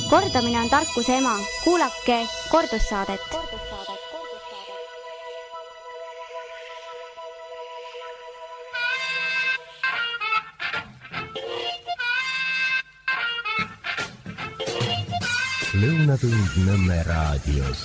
Kordamine on tarkuse ema. Kuulake kordussaadet. Lõunatund Nõmme raadios.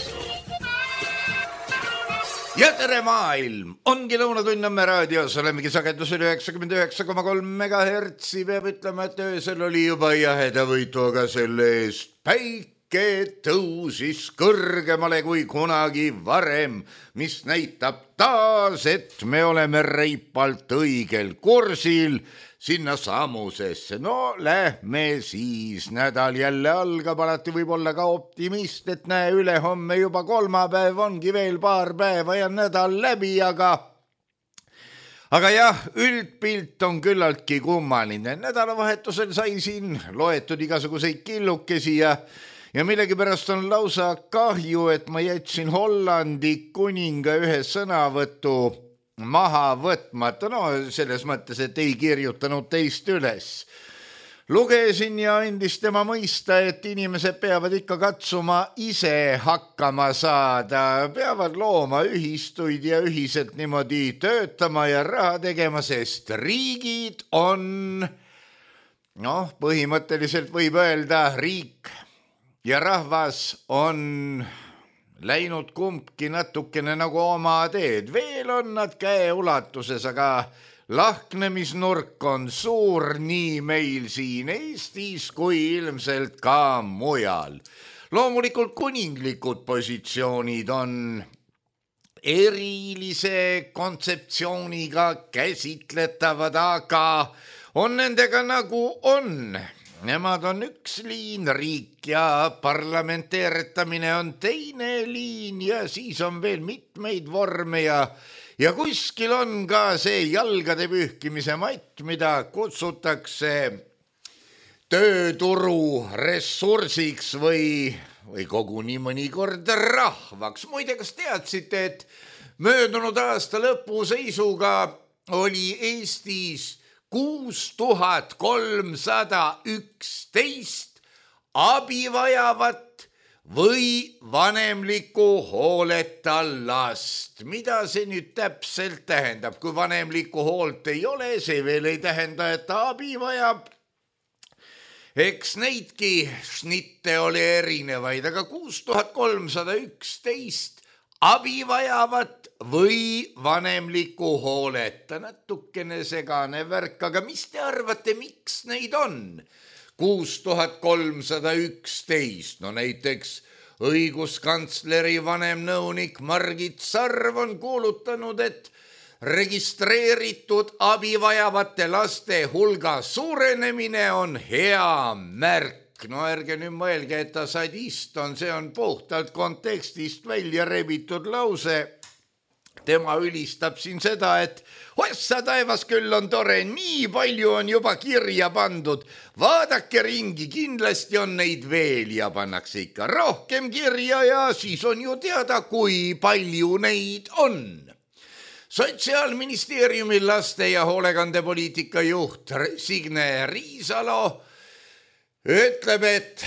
Ja tere maailm! Ongi Lõunatund Nõmme raadios, olemegi sagedusel 99,3 MHz. Peab ütlema, et öösel oli juba jahedavõitu, aga selle eest päike tõusis kõrgemale kui kunagi varem, mis näitab taas, et me oleme reipalt õigel kursil sinna samusesse. No lähme siis, nädal jälle algab, alati võib olla ka optimist, et näe, ülehomme juba kolmapäev, ongi veel paar päeva ja nädal läbi, aga jah, üldpilt on küllaltki kummaline. Nädalavahetusel sai siin loetud igasuguseid killukesi ja millegipärast on lausa kahju, et ma jätsin Hollandi kuninga ühe sõnavõtu maha võtmata, no selles mõttes, et ei kirjutanud teist üles. Lugesin ja andis tema mõista, et inimesed peavad ikka katsuma ise hakkama saada, peavad looma ühistuid ja ühiselt niimoodi töötama ja raha tegema, sest riigid on, põhimõtteliselt võib öelda, riik ja rahvas on läinud kumbki natukene nagu oma teed. Veel on nad käeulatuses, aga lahknemisnurk on suur nii meil siin Eestis kui ilmselt ka mujal. Loomulikult kuninglikud positsioonid on erilise kontseptsiooniga käsitletavad, aga on nendega nagu on. Nemad on üks liin, riik ja parlamenteeritamine on teine liin ja siis on veel mitmeid vorme ja kuskil on ka see jalgade pühkimise matt, mida kutsutakse tööturu ressursiks või koguni mõnikord rahvaks. Muide, kas teadsite, et möödunud aasta lõpu seisuga oli Eestis 6311 abi vajavat või vanemliku hooleta last. Mida see nüüd täpselt tähendab? Kui vanemliku hoolt ei ole, see veel ei tähenda, et ta abi vajab. Eks neidki šnitte oli erinevaid, aga 6311 abi vajavat või vanemliku hooleta. Natukene segane värk, aga mis te arvate, miks neid on 6311? No näiteks õiguskantsleri vanemnõunik Margit Sarv on kuulutanud, et registreeritud abi vajavate laste hulga suurenemine on hea märk. No ärge nüüd mõelge, et ta sadist on, see on puhtalt kontekstist välja rebitud lause. Tema ülistab siin seda, et ossa taevas küll on tore, nii palju on juba kirja pandud. Vaadake ringi, kindlasti on neid veel ja pannakse ikka rohkem kirja ja siis on ju teada, kui palju neid on. Sotsiaalministeeriumi laste- ja hoolekandepoliitika juht Signe Riisalo ütleb, et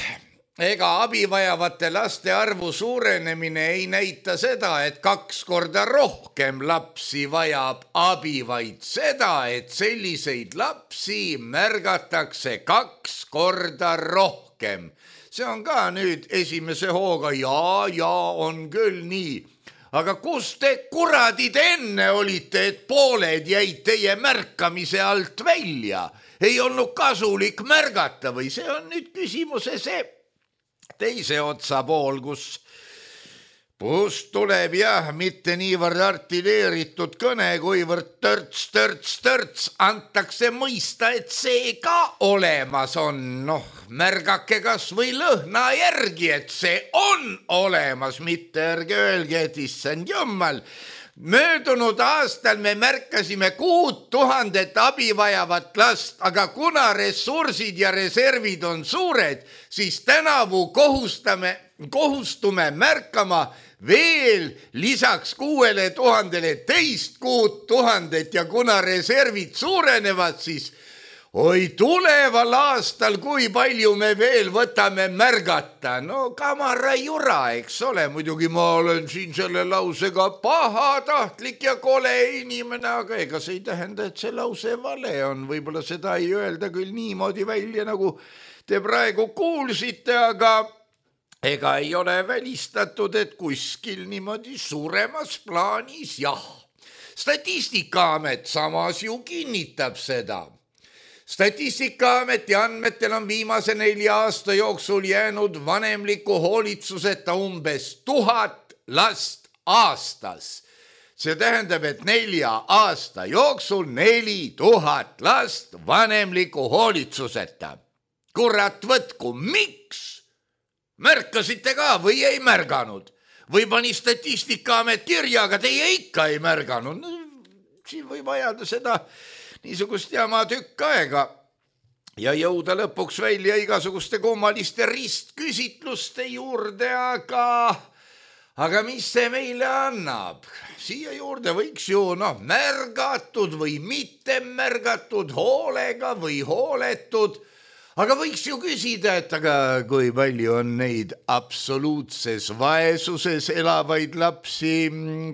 ega abi vajavate laste arvu suurenemine ei näita seda, et 2 korda rohkem lapsi vajab abi, vaid seda, et selliseid lapsi märgatakse 2 korda rohkem. See on ka nüüd esimese hooga, ja on küll nii. Aga kus te kuradid enne olite, et pooled jäid teie märkamise alt välja? Ei olnud kasulik märgata või see on nüüd küsimuse see teise otsa pool, kus tuleb mitte niivõrd artilleeritud kõne, kuivõrd törts antakse mõista, et see ka olemas on. Märgake kas või lõhna järgi, et see on olemas, mitte ärge öelge, et issand jummal. Möödunud aastal me märkasime 6000 abi vajavat last, aga kuna ressursid ja reservid on suured, siis tänavu kohustume märkama veel lisaks 6000 teist 6000 ja kuna reservid suurenevad, siis oi tuleval aastal, kui palju me veel võtame märgata. No kamara jura, eks ole, muidugi ma olen siin selle lausega pahatahtlik ja kole inimene, aga ega see ei tähenda, et see lause vale on. Võib-olla seda ei öelda küll niimoodi välja, nagu te praegu kuulsite, aga ega ei ole välistatud, et kuskil niimoodi suuremas plaanis jah. Statistikaamet samas ju kinnitab seda. Statistikaameti andmetel on viimase 4 aasta jooksul jäänud vanemliku hoolitsuseta umbes 1000 last aastas. See tähendab, et 4 aasta jooksul 4000 last vanemliku hoolitsuseta. Kurat võtku, miks? Märkasite ka või ei märganud? Või pani Statistikaamet kirja, aga teie ikka ei märganud. No, siin võib ajada seda niisugust jama tükk aega ja jõuda lõpuks välja igasuguste kummaliste ristküsitluste juurde, aga mis see meile annab? Siia juurde võiks ju märgatud või mitte märgatud, hoolega või hooletud. Aga võiks ju küsida, et aga kui palju on neid absoluutses vaesuses elavaid lapsi,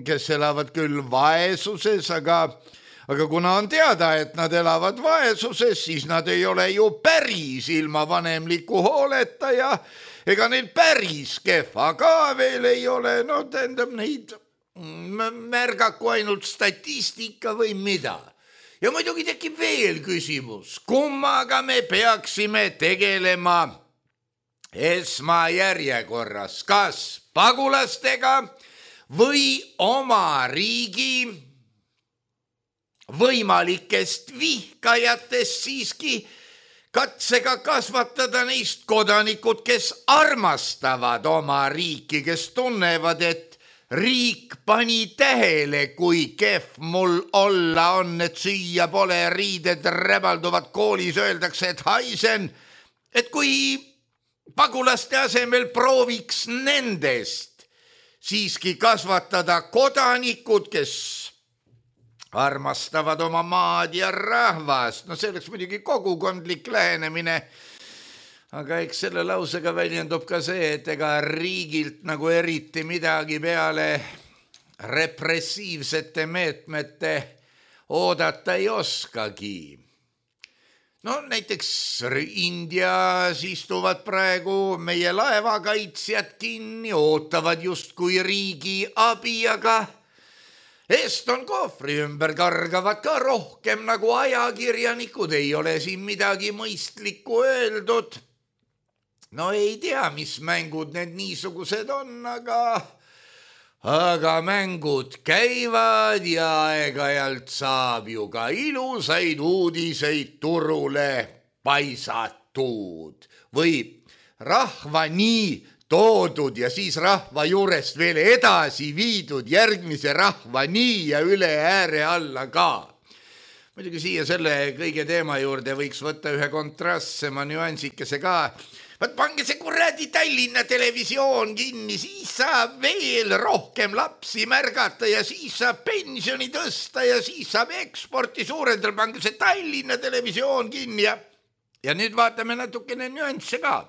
kes elavad küll vaesuses, aga kuna on teada, et nad elavad vaesuses, siis nad ei ole ju päris ilma vanemliku hooleta ja ega neil päris kehva ka veel ei ole. No tähendab neid märgaku ainult statistika või mida. Ja muidugi tekib veel küsimus, kummaga me peaksime tegelema esmajärjekorras, kas pagulastega või oma riigi võimalikest vihkajatest siiski katsega kasvatada neist kodanikud, kes armastavad oma riiki, kes tunnevad, et riik pani tähele, kui kehv mul olla on, et süüa pole, riided räbalduvad, koolis öeldakse, et haisen, et kui pagulaste asemel prooviks nendest siiski kasvatada kodanikud, kes armastavad oma maad ja rahvast. No see oleks muidugi kogukondlik lähenemine. Aga eks selle lausega väljendub ka see, et ega riigilt nagu eriti midagi peale repressiivsete meetmete oodata ei oskagi. No näiteks Indias istuvad praegu meie laevakaitsjad kinni, ootavad justkui riigi abi, aga Eston kohvri ümber kargavad ka rohkem nagu ajakirjanikud, ei ole siin midagi mõistlikku öeldud. No ei tea, mis mängud need niisugused on, aga mängud käivad ja aeg-ajalt saab ju ka ilusaid uudiseid turule paisatud või rahva nii toodud ja siis rahva juurest veel edasi viidud järgmise rahva nii ja üle ääre alla ka. Muidugi siia selle kõige teema juurde võiks võtta ühe kontrastsema nüansikese ka. Võt pange see kuradi Tallinna televisioon kinni, siis saab veel rohkem lapsi märgata ja siis saab pensioni tõsta ja siis saab eksporti suurendada. Pange see Tallinna televisioon kinni ja nüüd vaatame natukene nüansse ka.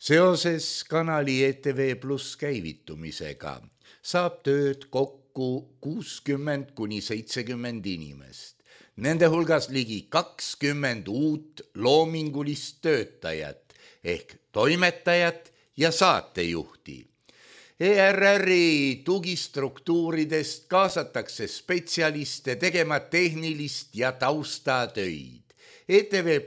Seoses kanali ETV+ käivitumisega saab tööd kokku 60–70 inimest. Nende hulgas ligi 20 uut loomingulist töötajat ehk toimetajat ja saatejuhti. ERR-i tugistruktuuridest kaasatakse spetsialiste tegema tehnilist ja taustatöid. ETV+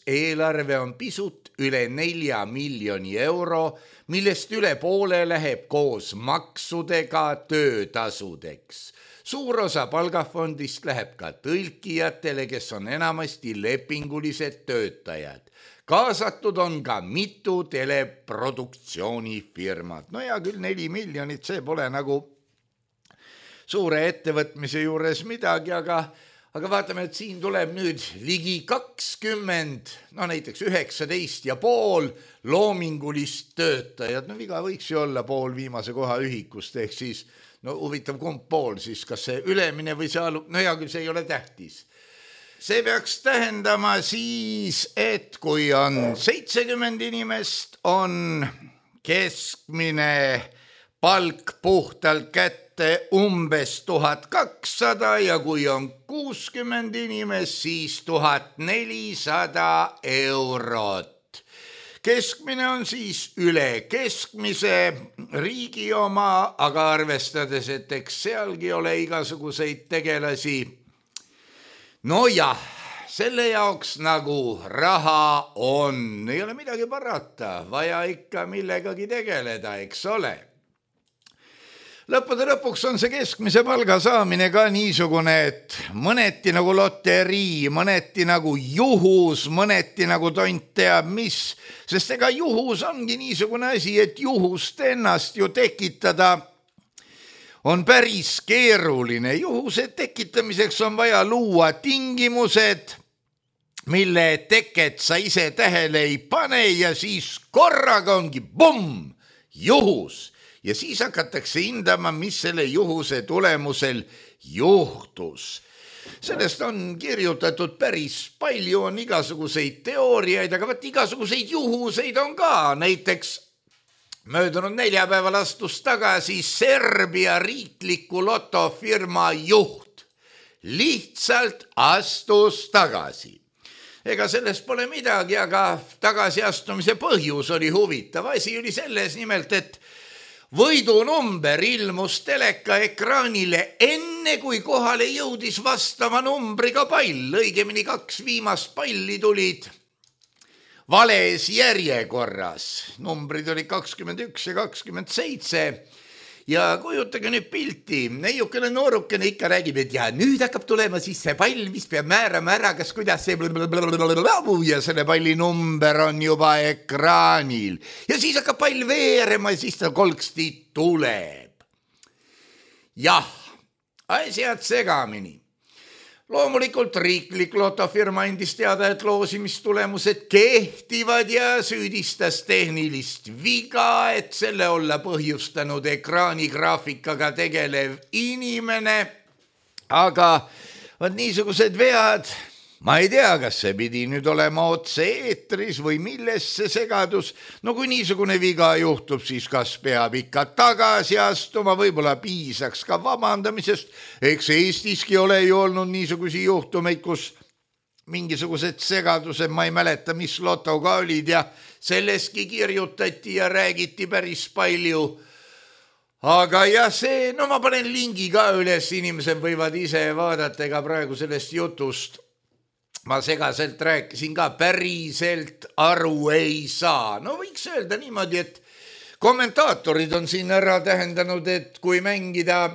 eelarve on pisut üle 4 miljoni euro, millest üle poole läheb koos maksudega töötasudeks. Suur osa palgafondist läheb ka tõlkijatele, kes on enamasti lepingulised töötajad. Kaasatud on ka mitu teleproduktsioonifirmat. No ja küll 4 miljonit, see pole nagu suure ettevõtmise juures midagi, aga vaatame, et siin tuleb nüüd ligi 20, no näiteks 19,5 loomingulist töötajad. No viga võiks ju olla pool viimase koha ühikust, ehk siis, no huvitav kumb pool siis, kas see ülemine või see alu, no hea küll, see ei ole tähtis. see peaks tähendama siis, et kui on 70 inimest, on keskmine palk puhtalt kätte umbes 1200 ja kui on 60 inimest, siis 1400 eurot. Keskmine on siis üle keskmise riigi oma, aga arvestades, et eks sealgi ole igasuguseid tegelasi. No jah, selle jaoks nagu raha on, ei ole midagi parata, vaja ikka millegagi tegeleda, eks ole. Lõppude lõpuks on see keskmise palga saamine ka niisugune, et mõneti nagu loterii, mõneti nagu juhus, mõneti nagu tont teab mis, sest ega juhus ongi niisugune asi, et juhust ennast ju tekitada on päris keeruline. Juhuse tekitamiseks on vaja luua tingimused, mille teket sa ise tähele ei pane ja siis korraga ongi bumm, juhus. Ja siis hakatakse hindama, mis selle juhuse tulemusel juhtus. Sellest on kirjutatud päris palju, on igasuguseid teooriaid, aga vaat igasuguseid juhuseid on ka. Näiteks möödunud neljapäeval astus tagasi Serbia riikliku lotofirma juht. Lihtsalt astus tagasi. Ega sellest pole midagi, aga tagasiastumise põhjus oli huvitav. Asi oli selles nimelt, et võidunumber ilmus teleka ekraanile enne, kui kohale jõudis vastava numbriga pall. Õigemini 2 viimast palli tulid vales järjekorras. Numbrid olid 21 ja 27. Ja kujutage nüüd pilti. Neiukene noorukene ikka räägib, et ja nüüd hakkab tulema siis see pall, mis peab määrama ära, kas kuidas see ja selle palli number on juba ekraanil. Ja siis hakkab pall veerema ja siis ta kolksti tuleb. Jah, asjad segamini. Loomulikult riiklik lotofirma andis teada, et loosimistulemused kehtivad ja süüdistas tehnilist viga, et selle olla põhjustanud ekraanigraafikaga tegelev inimene. Aga vaat niisugused vead, ma ei tea, kas see pidi nüüd olema otse eetris või milles see segadus. No kui niisugune viga juhtub, siis kas peab ikka tagasi astuma, võib-olla piisaks ka vabandamisest. Eks Eestiski ole ju olnud niisugusi juhtumeid, kus mingisugused segadused, ma ei mäleta, mis lotoga olid ja selleski kirjutati ja räägiti päris palju. Aga jah, see, no ma panen lingi ka üles, inimesed võivad ise vaadata, ega praegu sellest jutust ma segaselt rääkisin ka, päriselt aru ei saa. No võiks öelda niimoodi, et kommentaatorid on siin ära tähendanud, et kui mängida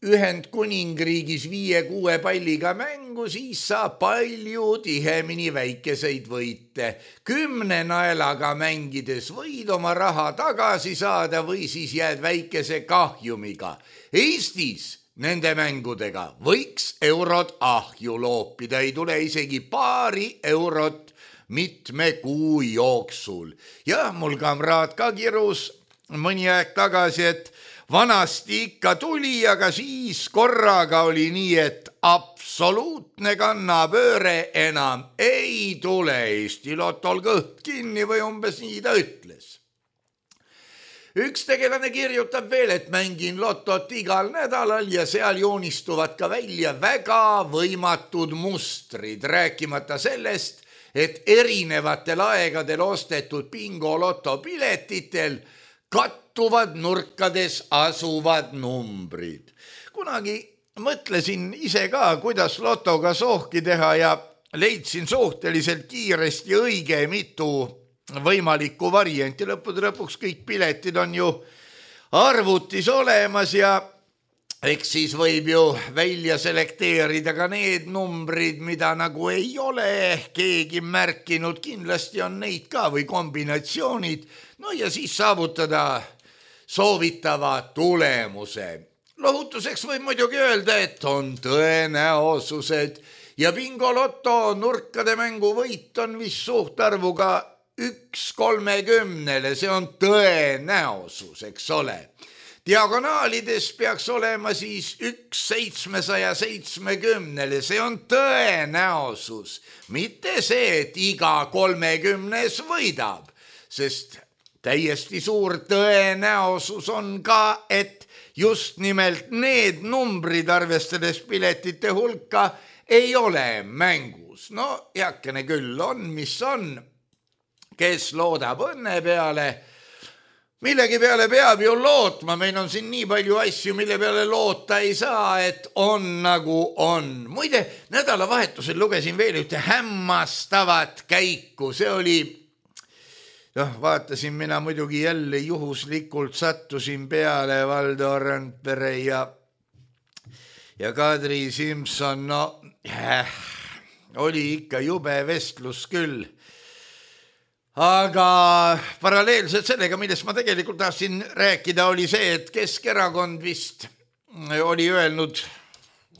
Ühendkuningriigis 5-6 palliga mängu, siis saab palju tihemini väikeseid võite. 10 naelaga mängides võid oma raha tagasi saada või siis jääd väikese kahjumiga. Eestis nende mängudega võiks eurod ahju loopida, ei tule isegi paari eurot mitme kuu jooksul. Ja mul kamraad ka kirus mõni aeg tagasi, et vanasti ikka tuli, aga siis korraga oli nii, et absoluutne kannapööre enam ei tule. Eesti lotol kõht kinni või umbes nii ta ütles. Üks tegelane kirjutab veel, et mängin lotot igal nädalal ja seal joonistuvad ka välja väga võimatud mustrid, rääkimata sellest, et erinevatel aegadel ostetud bingo lotopiletitel kattuvad nurkades asuvad numbrid. Kunagi mõtlesin ise ka, kuidas lotoga sohki teha ja leidsin suhteliselt kiiresti õige mitu võimalikku varianti. Lõppude lõpuks kõik piletid on ju arvutis olemas ja eks siis võib ju välja selekteerida ka need numbrid, mida nagu ei ole keegi märkinud. Kindlasti on neid ka või kombinatsioonid. No ja siis saavutada soovitava tulemuse. Lohutuseks võib muidugi öelda, et on tõenäosused ja bingo loto nurkade mängu võit on vist suhtarvuga 1/30, see on tõenäosus, eks ole. diagonaalides peaks olema siis 1/770, see on tõenäosus, mitte see, et iga 30 võidab, sest täiesti suur tõenäosus on ka, et just nimelt need numbrid, arvestades piletite hulka, ei ole mängus. No heakene küll on, mis on, kes loodab õnne peale. Millegi peale peab ju lootma, meil on siin nii palju asju, mille peale loota ei saa, et on nagu on. Muide, nädalavahetusel lugesin veel ühte hämmastavat käiku, see oli, vaatasin mina muidugi jälle juhuslikult, sattusin peale Valdo Randpere ja Kadri Simson, oli ikka jube vestlus küll. Aga paralleelselt sellega, millest ma tegelikult tahtsin rääkida, oli see, et Keskerakond vist oli öelnud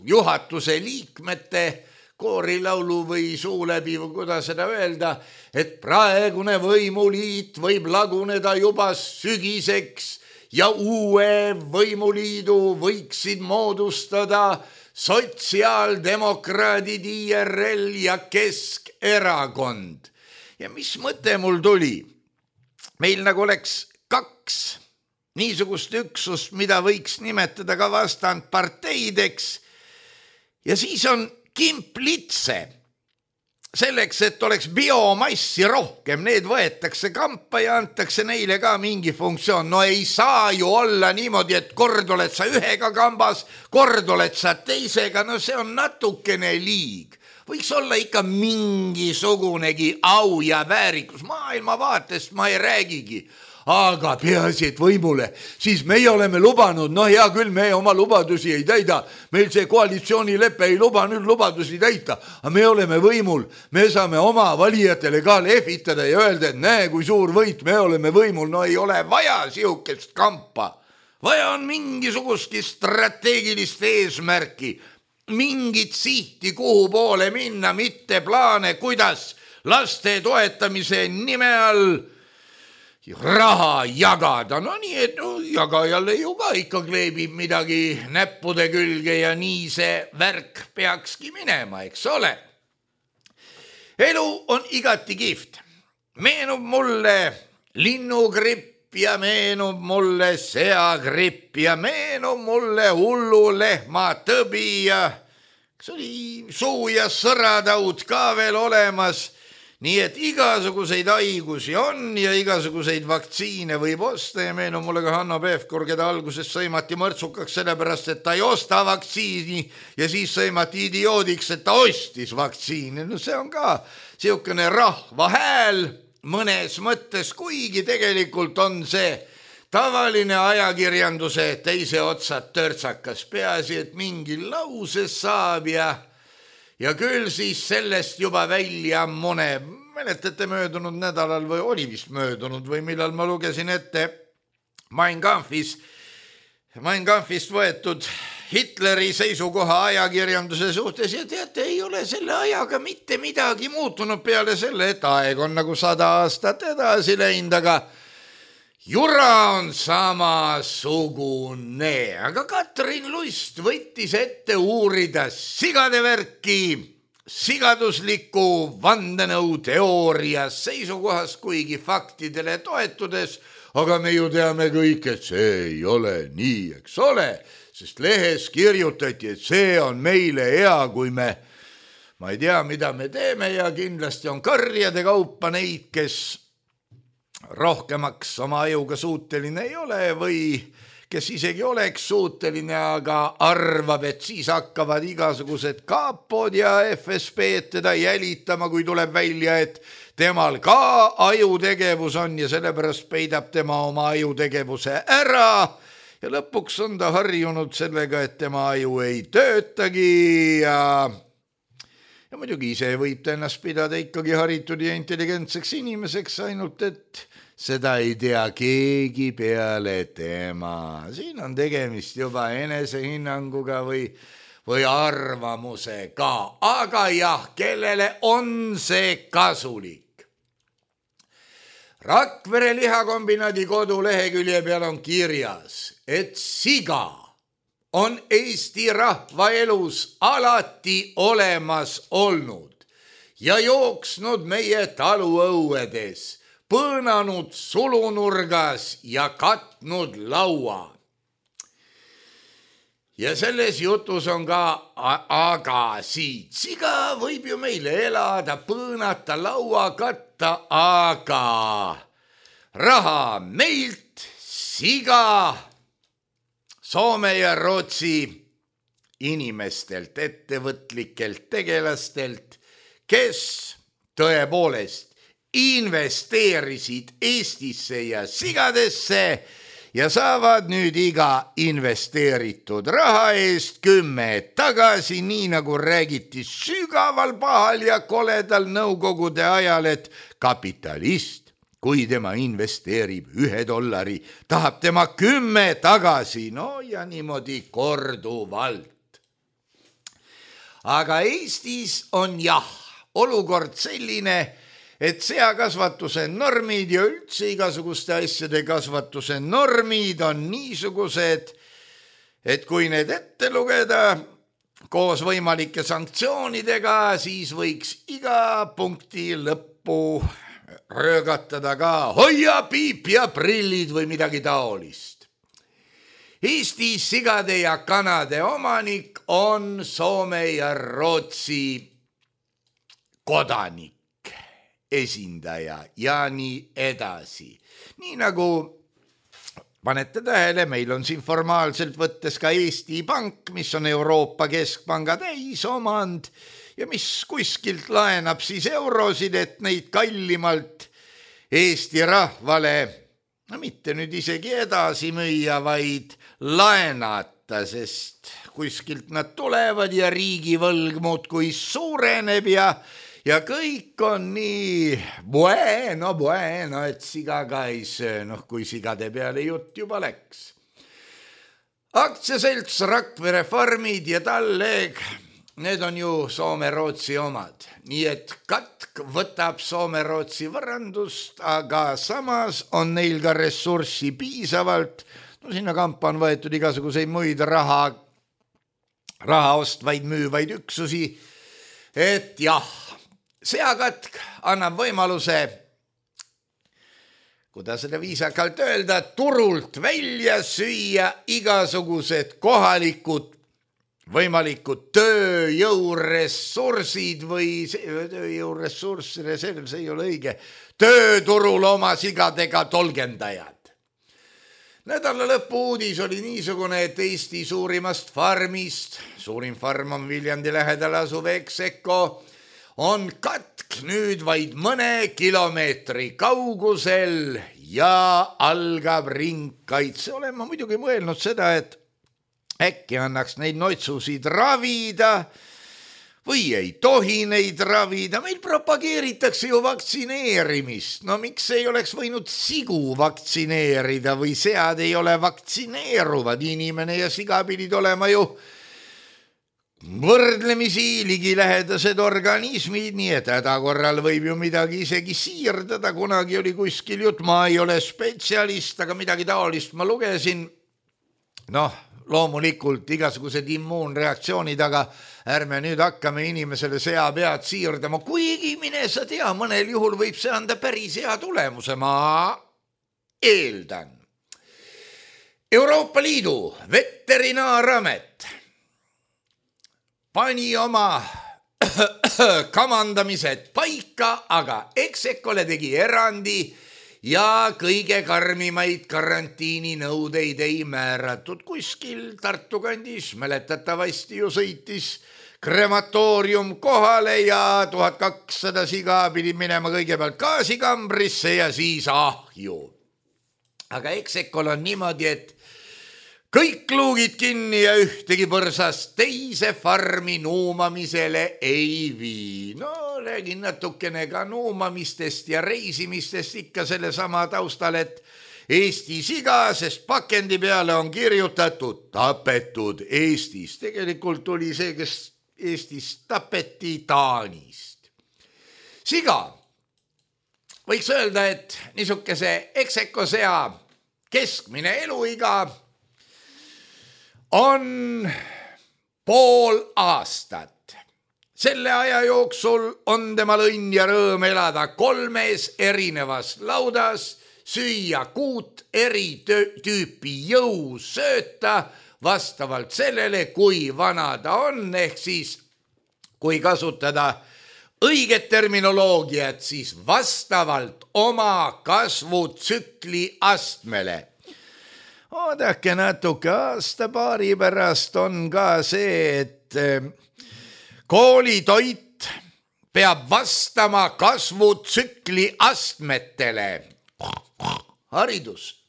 juhatuse liikmete koorilaulu või suu läbi või kuidas seda öelda, et praegune võimuliit võib laguneda juba sügiseks ja uue võimuliidu võiksid moodustada sotsiaaldemokraadid, IRL ja Keskerakond. Ja mis mõte mul tuli? Meil nagu oleks kaks niisugust üksust, mida võiks nimetada ka vastandparteideks. Ja siis on kimplitse. Selleks, et oleks biomassi rohkem, need võetakse kampa ja antakse neile ka mingi funktsioon. No ei saa ju olla niimoodi, et kord oled sa ühega kambas, kord oled sa teisega, no see on natukene liig. Võiks olla ikka mingisugunegi au ja väärikus, maailmavaatest ma ei räägigi, aga peaasi, et võimule, siis meie oleme lubanud, hea küll, me oma lubadusi ei täida, meil see koalitsioonilepe ei luba nüüd lubadusi täita, aga me oleme võimul, me saame oma valijatele ka lehvitada ja öelda, et näe, kui suur võit, me oleme võimul, no ei ole vaja sihukest kampa, vaja on mingisugustki strateegilist eesmärki, mingit sihti, kuhu poole minna, mitte plaane, kuidas laste toetamise nime all raha jagada. No nii, et jagajale ju ka ikka kleebib midagi näppude külge ja nii see värk peakski minema, eks ole. Elu on igati kihvt. Meenub mulle linnugripp ja meenub mulle seagripp ja meenub mulle hullu lehma tõbi ja kas oli suu- ja sõrataud ka veel olemas. Nii et igasuguseid haigusi on ja igasuguseid vaktsiine võib osta ja meenub mulle ka Hanno Pevkur, keda alguses sõimati mõrtsukaks sellepärast, et ta ei osta vaktsiini ja siis sõimati idioodiks, et ta ostis vaktsiini. No see on ka siukene rahva hääl mõnes mõttes, kuigi tegelikult on see tavaline ajakirjanduse teise otsa törtsakas, peaasi, et mingi lause saab ja küll siis sellest juba välja mone. Mäletate möödunud nädalal või oli vist möödunud või millal ma lugesin ette Mein Kampfist võetud Hitleri seisukoha ajakirjanduse suhtes ja teate, ei ole selle ajaga mitte midagi muutunud peale selle, et aeg on nagu 100 aastat edasi läinud, aga jura on samasugune. Aga Katrin Lust võttis ette uurida sigade värki sigadusliku vandenõuteooria seisukohas, kuigi faktidele toetudes, aga me ju teame kõik, et see ei ole nii, eks ole, sest lehes kirjutati, et see on meile hea, kui ma ei tea, mida me teeme ja kindlasti on karjade kaupa neid, kes rohkemaks oma ajuga suuteline ei ole või kes isegi oleks suuteline, aga arvab, et siis hakkavad igasugused kaapod ja FSB teda jälitama, kui tuleb välja, et temal ka ajutegevus on ja sellepärast peidab tema oma ajutegevuse ära ja lõpuks on ta harjunud sellega, et tema aju ei töötagi ja muidugi ise võib ta ennast pidada ikkagi haritud ja intelligentseks inimeseks, ainult et seda ei tea keegi peale tema. Siin on tegemist juba enesehinnanguga või arvamusega, aga jah, kellele on see kasulik? Rakvere lihakombinaadi kodulehekülje peal on kirjas, et siga on Eesti rahva elus alati olemas olnud ja jooksnud meie taluõuedes, põõnanud sulunurgas ja katnud laua. Ja selles jutus on ka aga siit. Siga võib ju meile elada, põõnata, laua katta, aga raha meilt, siga Soome ja Rootsi inimestelt, ettevõtlikelt tegelastelt, kes tõepoolest investeerisid Eestisse ja sigadesse ja saavad nüüd iga investeeritud raha eest 10 tagasi, nii nagu räägiti sügaval pahal ja koledal nõukogude ajal, et kapitalist, kui tema investeerib $1, tahab tema 10 tagasi, no ja niimoodi korduvalt. Aga Eestis on olukord selline, et seakasvatuse normid ja üldse igasuguste asjade kasvatuse normid on niisugused, et kui need ette lugeda koos võimalike sanktsioonidega, siis võiks iga punkti lõppu röögatada ka hoia piip ja prillid või midagi taolist. Eesti sigade ja kanade omanik on Soome ja Rootsi kodanik, esindaja ja nii edasi. Nii nagu panete tähele, meil on siin formaalselt võttes ka Eesti Pank, mis on Euroopa Keskpanga täisomand ja mis kuskilt laenab siis eurosid, et neid kallimalt Eesti rahvale, no mitte nüüd isegi edasi müüa, vaid laenata, sest kuskilt nad tulevad ja riigivõlg muudkui suureneb ja kõik on nii bueno, et siga ka ei söö, kui sigade peale jutt juba läks. Aktsiaselts Rakvere farmid ja Talleg, need on ju Soome-Rootsi omad. Nii et katk võtab Soome-Rootsi võrrandust, aga samas on neil ka ressurssi piisavalt. No sinna kampa on võetud igasuguseid muid raha ostvaid müüvaid üksusi, et seakatk annab võimaluse, kuidas seda viisakalt öelda, turult välja süüa igasugused kohalikud võimalikud tööjõuressursid või reserv, see ei ole õige, tööturul oma sigadega tolgendajad. Nädala lõpu uudis oli niisugune, et Eesti suurimast farmist, suurim farm on Viljandi lähedal asuv Ekseko, on katk nüüd vaid mõne kilomeetri kaugusel ja algab ringkaitse. Olen ma muidugi mõelnud seda, et äkki annaks neid noitsusid ravida või ei tohi neid ravida. Meil propageeritakse ju vaktsineerimist. No miks ei oleks võinud sigu vaktsineerida või sead ei ole vaktsineeruvad? Inimene ja siga pidid olema ju võrdlemisi ligilähedased organismid, nii et hädakorral võib ju midagi isegi siirdada. Kunagi oli kuskil jutt, ma ei ole spetsialist, aga midagi taolist ma lugesin. Loomulikult igasugused immuunreaktsioonid, aga ärme nüüd hakkame inimesele sea pead siirdama, kuigi mine sa tea, mõnel juhul võib see anda päris hea tulemuse, ma eeldan. Euroopa Liidu veterinaaramet pani oma kamandamised paika, aga Exekole tegi erandi ja kõige karmimaid karantiininõudeid ei määratud. Kuskil Tartu kandis mäletatavasti ju sõitis krematoorium kohale ja 1200 siga pidi minema kõigepealt gaasikambrisse ja siis ahju. Aga Exekol on niimoodi, et kõik luugid kinni ja ühtegi põrsast teise farmi nuumamisele ei vii. Räägin natukene ka nuumamistest ja reisimistest ikka selle sama taustal, et Eesti siga, sest pakendi peale on kirjutatud tapetud Eestis. Tegelikult oli see, kes Eestis tapeti Taanist. Siga võiks öelda, et niisuguse eksekosea keskmine eluiga on pool aastat. Selle aja jooksul on temal õnn ja rõõm elada 3 erinevas laudas, süüa 6 eri tüüpi jõusööta vastavalt sellele, kui vana ta on, ehk siis kui kasutada õiget terminoloogiat, siis vastavalt oma kasvutsükli astmele. Oodake natuke, aasta-paari pärast on ka see, et koolitoit peab vastama kasvutsükli astmetele. Haridus.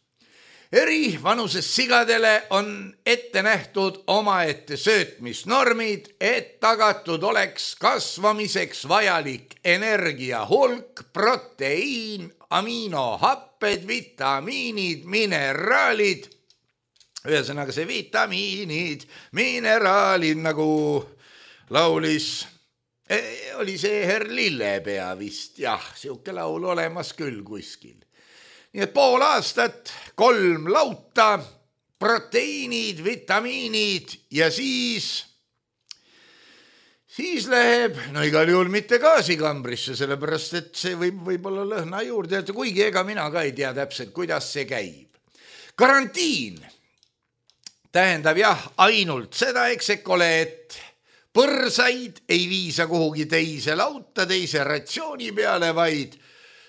Eri vanuses sigadele on ette nähtud omaette söötmisnormid, et tagatud oleks kasvamiseks vajalik energia hulk, proteiin, aminohapped, vitamiinid, mineraalid. Ühesõnaga see vitamiinid, mineraalid, nagu laulis, oli see Herr Lillepea vist, jah, siuke laul olemas küll kuskil. Nii et pool aastat, 3 lauta, proteiinid, vitamiinid ja siis läheb, no igal juhul mitte gaasikambrisse, sellepärast et see võib olla lõhna juurde, kuigi ega mina ka ei tea täpselt, kuidas see käib. Karantiin tähendab jah ainult seda eksekole, et põrsaid ei viisa kuhugi teise lauta, teise ratsiooni peale, vaid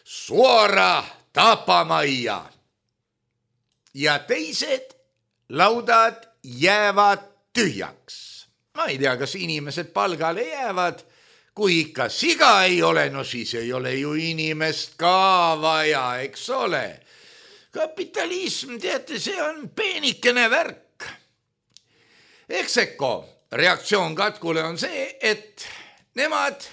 suora tapamajja. Ja teised laudad jäävad tühjaks. Ma ei tea, kas inimesed palgale jäävad. Kui ikka siga ei ole, no siis ei ole ju inimest ka vaja, eks ole. Kapitalism, teate, see on peenikene värk. Ekseko reaktsioon katkule on see, et nemad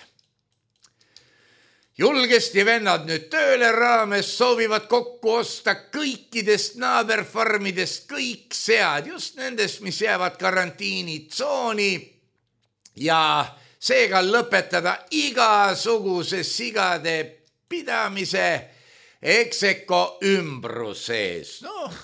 julgesti vennad nüüd tööle raames soovivad kokku osta kõikidest naaberfarmidest kõik sead, just nendest, mis jäävad karantiinitsooni ja seega lõpetada igasuguse sigade pidamise ekseko ümbruses. Noh,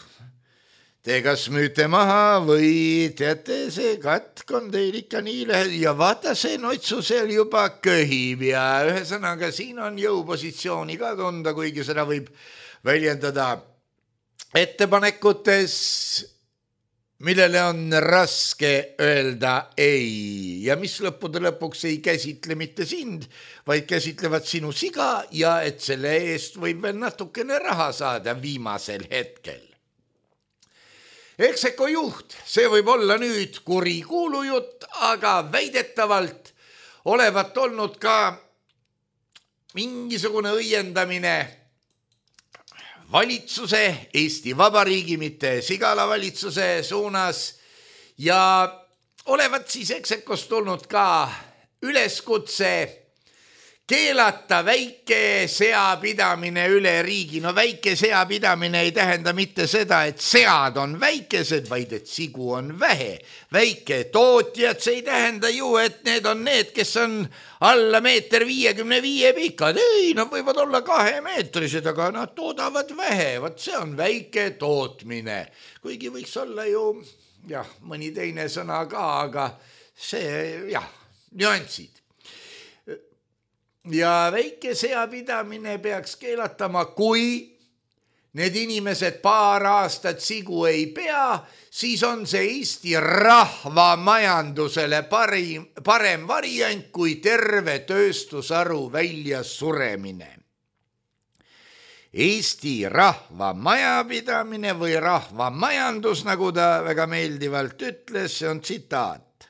te kas müüte maha või teate, see katk on teil ikka nii lähed ja vaata see notsu seal juba köhib ja ühesõnaga siin on jõupositsiooni ka tunda, kuigi seda võib väljendada ettepanekutes, millele on raske öelda ei ja mis lõppude lõpuks ei käsitle mitte sind, vaid käsitlevad sinu siga ja et selle eest võib veel natukene raha saada viimasel hetkel. Ekseko juht, see võib olla nüüd kuri kuulujutt, aga väidetavalt olevat olnud ka mingisugune õiendamine valitsuse, Eesti Vabariigi, mitte Sigala valitsuse suunas ja olevat siis eksekost tulnud ka üleskutse keelata väike seapidamine üle riigi. No väike seapidamine ei tähenda mitte seda, et sead on väikesed, vaid et sigu on vähe. Väike tootjad, see ei tähenda ju, et need on need, kes on alla 1,55 meetri pikad. Ei, nad võivad olla 2-meetrised, aga nad toodavad vähe. Vaat see on väike tootmine. Kuigi võiks olla ju, jah, mõni teine sõna ka, aga see, jah, nüansid. Ja väike seapidamine peaks keelatama, kui need inimesed paar aastat sigu ei pea, siis on see Eesti rahvamajandusele parem variant kui terve tööstusharu välja suremine. Eesti rahvamajapidamine või rahvamajandus, nagu ta väga meeldivalt ütles, see on tsitaat.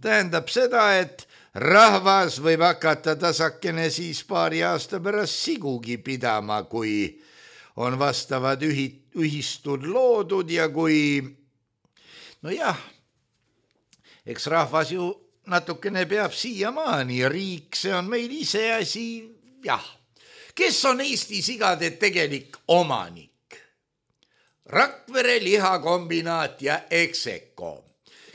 Tähendab seda, et rahvas võib hakata tasakene siis paari aasta pärast sigugi pidama, kui on vastavad ühistud loodud ja kui, no jah, eks rahvas ju natukene peab siiamaani, riik, see on meil iseasi, jah. Kes on Eesti sigade tegelik omanik? Rakvere lihakombinaat ja Ekseko.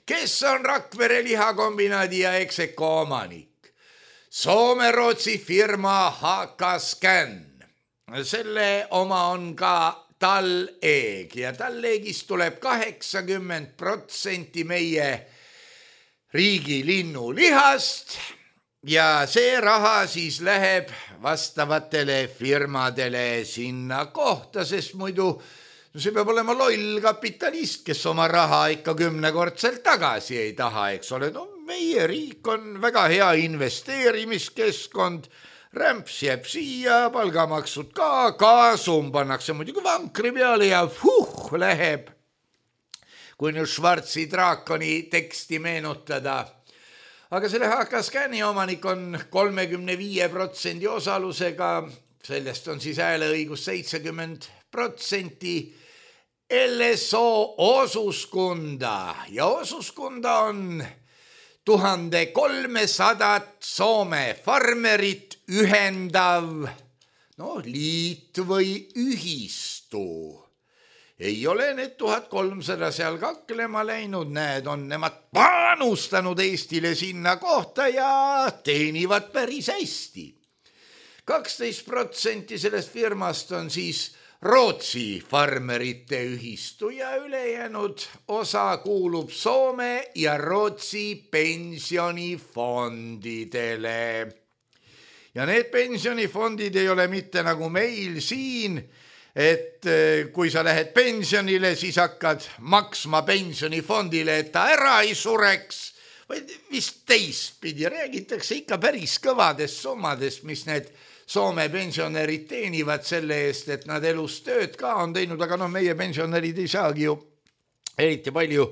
Kes on Rakvere lihakombinaadi ja Ekseko omanik? Soome-Rootsi firma HK Scan. selle oma on ka talleeg ja talleegist tuleb 80% meie riigi linnulihast ja see raha siis läheb vastavatele firmadele sinna kohta, sest muidu see peab olema loll kapitalist, kes oma raha ikka 10-kordselt tagasi ei taha, eks ole. No meie riik on väga hea investeerimiskeskkond, rämps jääb siia, palgamaksud ka, kaasum pannakse muidugi vankri peale ja läheb. Kui nüüd Schwarzi draakoni teksti meenutada. Aga selle HK-Scanni omanik on 35% osalusega, sellest on siis hääleõigus 70%. LSO osuskunda ja osuskunda on 1300 Soome farmerit ühendav liit või ühistu. Ei ole need 1300 seal kaklema läinud, need on nemad panustanud Eestile sinna kohta ja teenivad päris hästi. 12% sellest firmast on siis Rootsi farmerite ühistu ja ülejäänud osa kuulub Soome ja Rootsi pensionifondidele. Ja need pensionifondid ei ole mitte nagu meil siin, et kui sa lähed pensionile, siis hakkad maksma pensionifondile, et ta ära ei sureks, vaid vist teistpidi räägitakse ikka päris kõvadest summadest, mis need Soome pensionärid teenivad selle eest, et nad elus tööd ka on teinud, aga meie pensionärid ei saagi ju eriti palju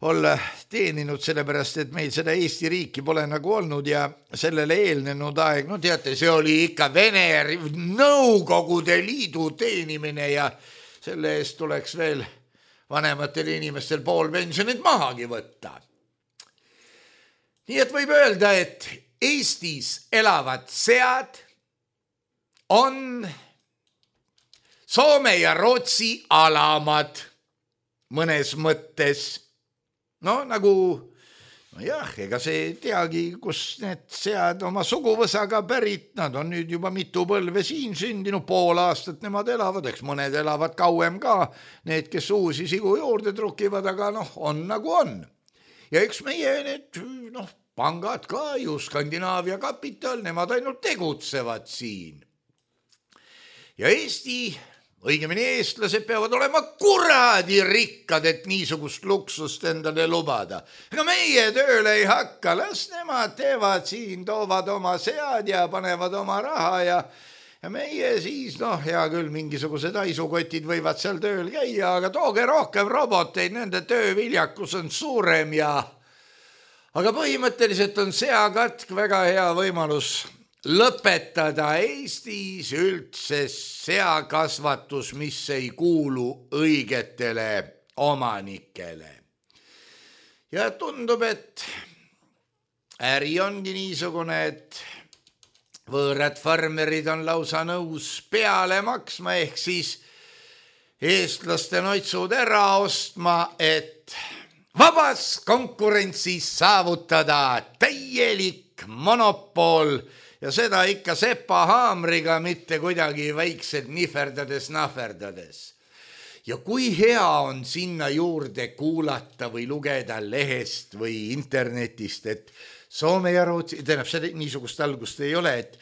olla teeninud, sellepärast et meil seda Eesti riiki pole nagu olnud ja sellele eelnenud aeg, teate, see oli ikka Vene Nõukogude Liidu teenimine ja selle eest tuleks veel vanematel inimestel pool pensionit mahagi võtta. Nii et võib öelda, et Eestis elavad sead on Soome ja Rootsi alamad mõnes mõttes. Ega see teagi, kus need sead oma suguvõsaga pärit, nad on nüüd juba mitu põlve siin sündinud, pool aastat nemad elavad, eks mõned elavad kauem ka, need, kes uusi sigu juurde trukivad, aga on nagu on. Ja üks meie need pangad ka ju, Skandinaavia kapital, nemad ainult tegutsevad siin. Ja Eesti, õigemini eestlased peavad olema kuradi rikkad, et niisugust luksust endale lubada. Ega meie tööle ei hakka, las nemad teevad siin, toovad oma sead ja panevad oma raha ja meie siis, hea küll, mingisugused aisukotid võivad seal tööl käia, aga tooge rohkem roboteid, nende tööviljakus on suurem aga põhimõtteliselt on seakatk väga hea võimalus lõpetada Eestis üldse seakasvatus, mis ei kuulu õigetele omanikele. Ja tundub, et äri ongi niisugune, et võõrad farmerid on lausa nõus peale maksma, ehk siis eestlaste noitsud ära ostma, et vabas konkurentsis saavutada täielik monopol ja seda ikka sepa haamriga, mitte kuidagi väikselt nihverdades. Ja kui hea on sinna juurde kuulata või lugeda lehest või internetist, et Soome ja Rootsi, tähendab, niisugust algust ei ole, et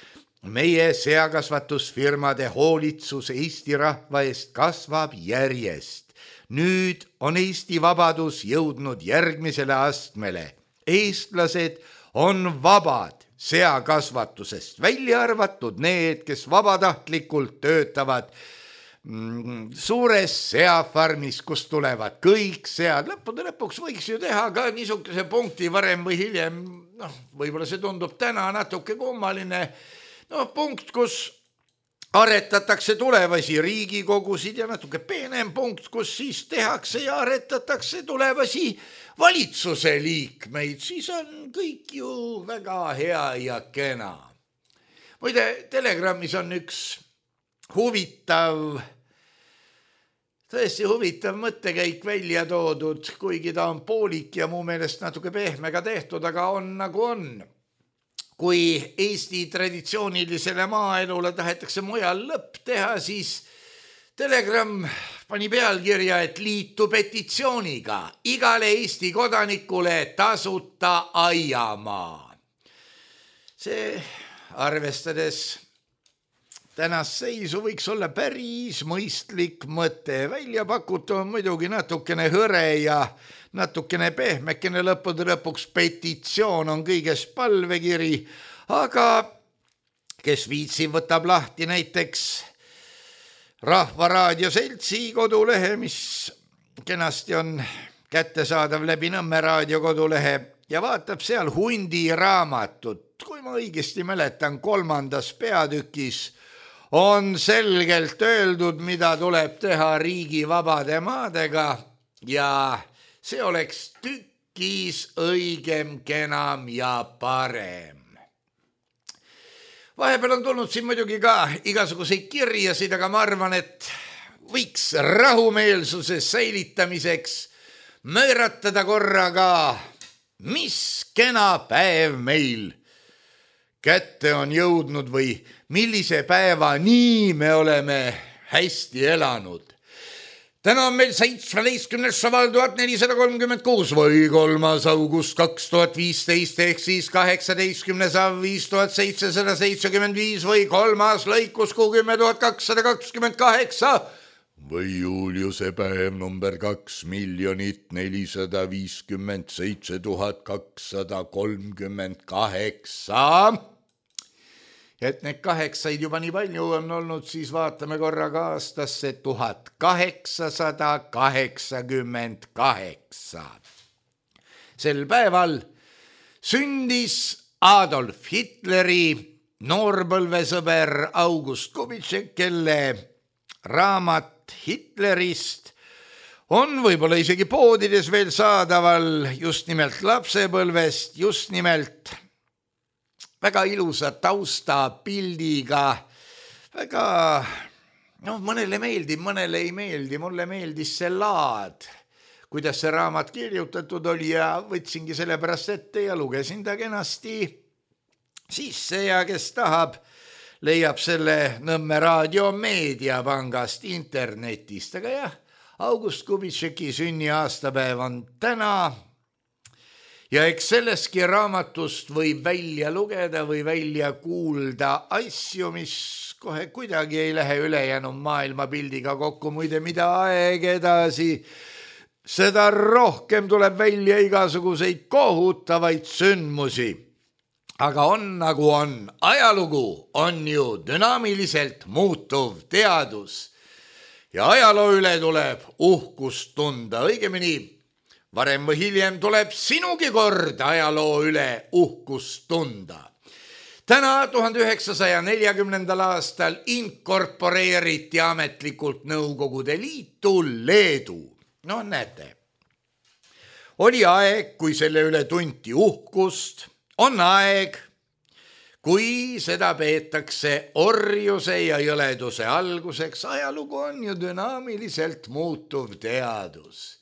meie seakasvatusfirmade hoolitsus Eesti rahva eest kasvab järjest. Nüüd on Eesti vabadus jõudnud järgmisele astmele. Eestlased on vabad seakasvatusest, välja arvatud need, kes vabatahtlikult töötavad suures seafarmis, kus tulevad kõik sead. Lõppude lõpuks võiks ju teha ka niisuguse punkti varem või hiljem, võib-olla see tundub täna natuke kummaline, punkt, kus aretatakse tulevasi riigikogusid ja natuke peenem punkt, kus siis tehakse ja aretatakse tulevasi valitsuse liikmeid, siis on kõik ju väga hea ja kena. Muide, Telegrammis on üks tõesti huvitav mõttekäik välja toodud, kuigi ta on poolik ja mu meelest natuke pehmega tehtud, aga on nagu on. kui Eesti traditsioonilisele maaelule tahetakse mujal lõpp teha, siis Telegram pani pealkirja, et liitu petitsiooniga igale Eesti kodanikule tasuta aiamaa. See arvestades tänast seisu võiks olla päris mõistlik mõte. Välja pakutu on muidugi natukene hõre ja natukene pehmekene, lõppude lõpuks petitsioon on kõigest palvekiri, aga kes viitsib, võtab lahti näiteks Rahvaraadio Seltsi kodulehe, mis kenasti on kättesaadav läbi Nõmme raadio kodulehe ja vaatab seal Hundi raamatut. Kui ma õigesti mäletan, 3. peatükis on selgelt öeldud, mida tuleb teha riigi vabade maadega ja see oleks tükis õigem, kenam ja parem. Vahepeal on tulnud siin muidugi ka igasuguseid kirjasid, aga ma arvan, et võiks rahumeelsuse säilitamiseks mööratada korraga, mis kena päev meil kätte on jõudnud või millise päeva nii me oleme hästi elanud. Täna on meil 17. šaval 1436 või 3. august 2015 ehk siis 18. av 5775 või 3. lõikuskuu 10.228 või Juliuse päev number 2,457,238. Et need 8 juba nii palju on olnud, siis vaatame korraga aastasse 1888. Sel päeval sündis Adolf Hitleri noorpõlvesõber August Kubitšek, kelle raamat Hitlerist on võib-olla isegi poodides veel saadaval just nimelt lapsepõlvest, just nimelt väga ilusa taustapildiga, väga, mõnele meeldib, mõnele ei meeldi, mulle meeldis see laad, kuidas see raamat kirjutatud oli ja võtsingi sellepärast ette ja lugesin ta kenasti sisse ja kes tahab, leiab selle Nõmme raadio meediapangast internetist, aga jah, August Kubitšeki sünniaastapäev on täna ja eks selleski raamatust võib välja lugeda või välja kuulda asju, mis kohe kuidagi ei lähe ülejäänud maailmapildiga kokku, muide mida aeg edasi, seda rohkem tuleb välja igasuguseid kohutavaid sündmusi. Aga on nagu on, ajalugu on ju dünaamiliselt muutuv teadus ja ajaloo üle tuleb uhkust tunda, õigemini varem või hiljem tuleb sinugi kord ajaloo üle uhkust tunda. Täna 1940. aastal inkorporeeriti ametlikult Nõukogude Liitu Leedu. No näete, oli aeg, kui selle üle tunti uhkust, on aeg, kui seda peetakse orjuse ja jõleduse alguseks. Ajalugu on ju dünaamiliselt muutuv teadus.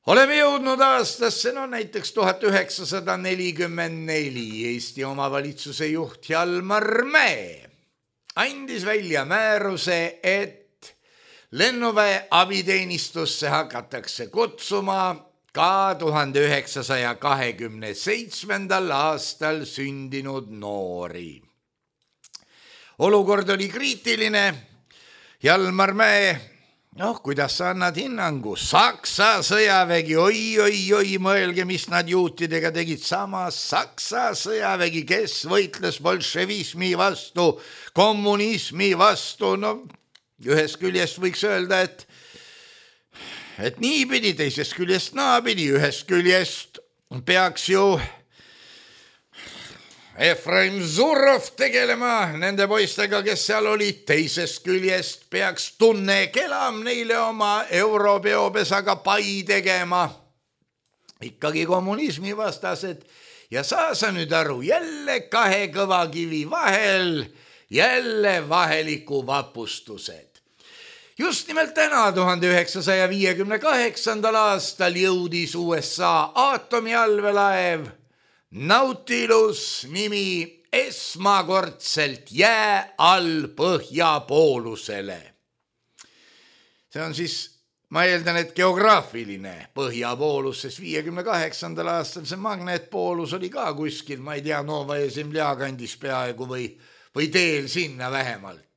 Oleme jõudnud aastasse, näiteks 1944 Eesti omavalitsuse juht Hjalmar Mäe andis välja määruse, et lennuväe abiteenistusse hakatakse kutsuma ka 1927. aastal sündinud noori. Olukord oli kriitiline. Hjalmar Mäe, kuidas sa annad hinnangu? Saksa sõjavägi, oi, mõelge, mis nad juutidega tegid. Samas Saksa sõjavägi, kes võitles bolševismi vastu, kommunismi vastu. Ühest küljest võiks öelda, et niipidi, teisest küljest naapidi, ühest küljest peaks ju Efraim Zurov tegelema nende poistega, kes seal olid, teisest küljest peaks Tunne Kelam neile oma europeopesaga pai tegema. Ikkagi kommunismi vastased ja saa sa nüüd aru, jälle kahe kõva kivi vahel, jälle vaheliku vapustused. Just nimelt täna 1958. aastal jõudis USA aatomiallveelaev Nautilus nimi esmakordselt jää all põhjapoolusele. See on siis, ma eeldan, et geograafiline põhjapoolus, sest 58. aastal see magneetpoolus oli ka kuskil, ma ei tea, Novaja Zemlja kandis peaaegu või teel sinna vähemalt.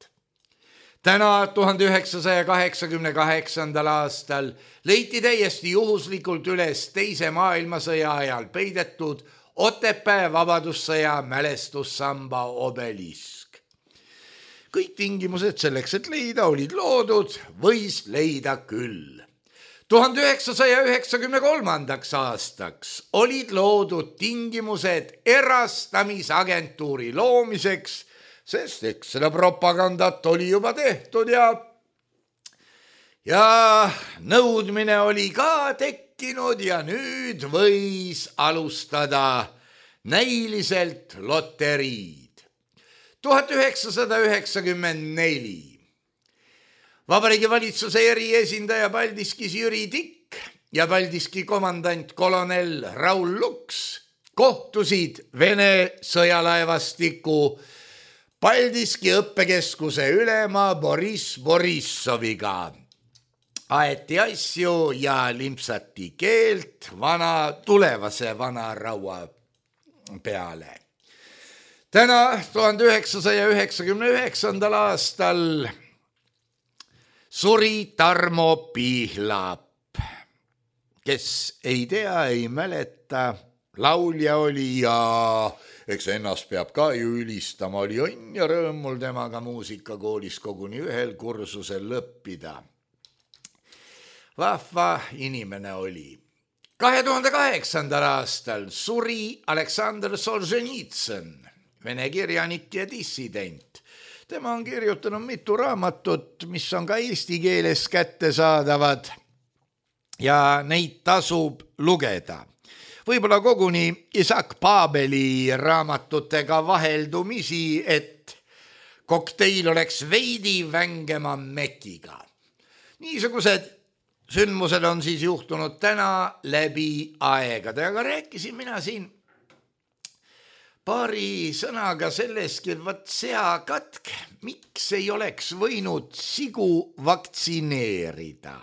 Täna 1988. aastal leiti täiesti juhuslikult üles teise maailmasõja ajal peidetud Otepää vabadussõja mälestussamba obelisk. Kõik tingimused selleks, et leida, olid loodud, võis leida küll. 1993. aastaks olid loodud tingimused erastamisagentuuri loomiseks, sest eks seda propagandat oli juba tehtud ja nõudmine oli ka tekkinud ja nüüd võis alustada näiliselt loteriid. 1994. Vabariigi valitsuse eriesindaja Paldiskis Jüri Tikk ja Paldiski komandant kolonel Raul Luks kohtusid Vene sõjalaevastiku Paldiski õppekeskuse ülema Boriss Borissoviga. Aeti asju ja limpsati keelt tulevase vana raua peale. Täna 1999. aastal suri Tarmo Pihlap, kes ei tea, ei mäleta, laulja oli ja eks ennast peab ka ju ülistama, oli õnn ja rõõm mul temaga muusikakoolis koguni ühel kursusel õppida. Vahva inimene oli. 2008. aastal suri Aleksandr Solženitsõn, vene kirjanik ja dissident. Tema on kirjutanud mitu raamatut, mis on ka eesti keeles kättesaadavad ja neid tasub lugeda. Võib-olla koguni Isak Paabeli raamatutega vaheldumisi, et kokteil oleks veidi vängema mekiga. Niisugused sündmused on siis juhtunud täna läbi aegade, aga rääkisin mina siin paari sõnaga sellestki, et seakatk, miks ei oleks võinud sigu vaktsineerida.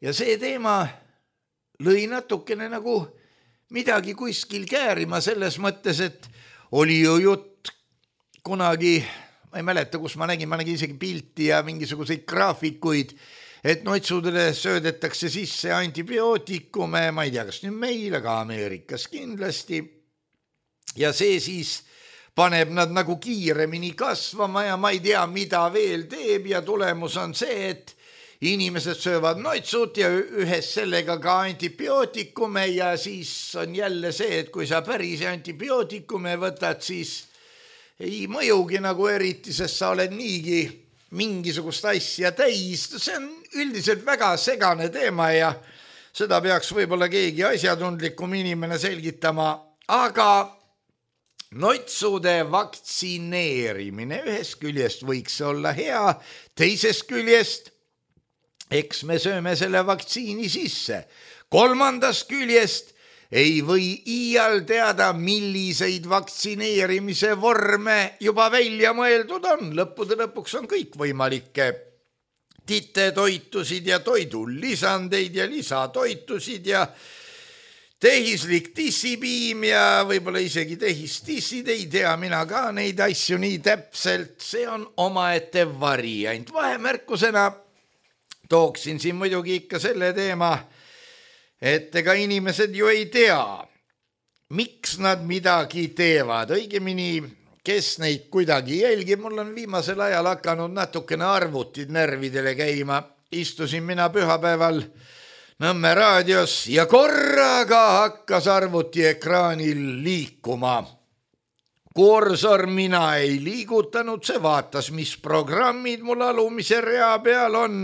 Ja see teema lõi natukene nagu midagi kuskil käärima selles mõttes, et oli ju jutt kunagi, ma ei mäleta, kus ma nägin isegi pilti ja mingisuguseid graafikuid, et noitsudele söödetakse sisse antibiootikume, ma ei tea, kas nüüd meil, aga Ameerikas kindlasti. Ja see siis paneb nad nagu kiiremini kasvama ja ma ei tea, mida veel teeb ja tulemus on see, et inimesed söövad noitsud ja ühes sellega ka antibiootikume ja siis on jälle see, et kui sa päris antibiootikume võtad, siis ei mõjugi nagu eriti, sest sa oled niigi mingisugust asja täis. See on üldiselt väga segane teema ja seda peaks võib-olla keegi asjatundlikum inimene selgitama, aga noitsude vaktsineerimine ühest küljest võiks olla hea, teisest küljest eks me sööme selle vaktsiini sisse. Kolmandast küljest ei või iial teada, milliseid vaktsineerimise vorme juba välja mõeldud on. Lõppude lõpuks on kõik võimalikke titetoitusid ja toidulisandeid ja lisatoitusid ja tehislik tissipiim ja võib-olla isegi tehistissid, ei tea mina ka neid asju nii täpselt. See on omaette variant. Vahemärkusena tooksin siin muidugi ikka selle teema, et ega inimesed ju ei tea, miks nad midagi teevad. Õigemini, kes neid kuidagi jälgib. Mul on viimasel ajal hakanud natukene arvutid närvidele käima. Istusin mina pühapäeval Nõmme raadios ja korraga hakkas arvuti ekraanil liikuma. Kursor mina ei liigutanud, see vaatas, mis programmid mul alumise rea peal on.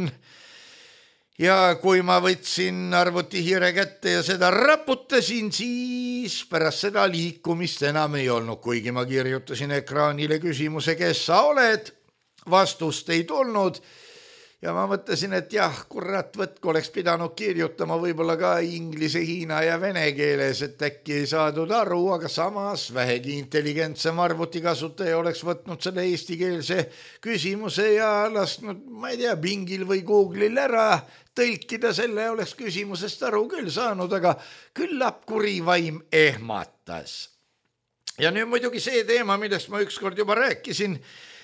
Ja kui ma võtsin arvutihiire kätte ja seda raputasin, siis pärast seda liikumist enam ei olnud, kuigi ma kirjutasin ekraanile küsimuse, kes sa oled, vastust ei tulnud ja ma mõtlesin, et jah, kurat võtku, oleks pidanud kirjutama võib-olla ka inglise, hiina ja vene keeles, et äkki ei saadud aru, aga samas vähegi intelligentsem arvutikasutaja oleks võtnud selle eestikeelse küsimuse ja lasknud, ma ei tea, Bingil või Google'il ära tõlkida selle, oleks küsimusest aru küll saanud, aga küllap kuri vaim ehmatas. Ja nüüd muidugi see teema, millest ma ükskord juba rääkisin,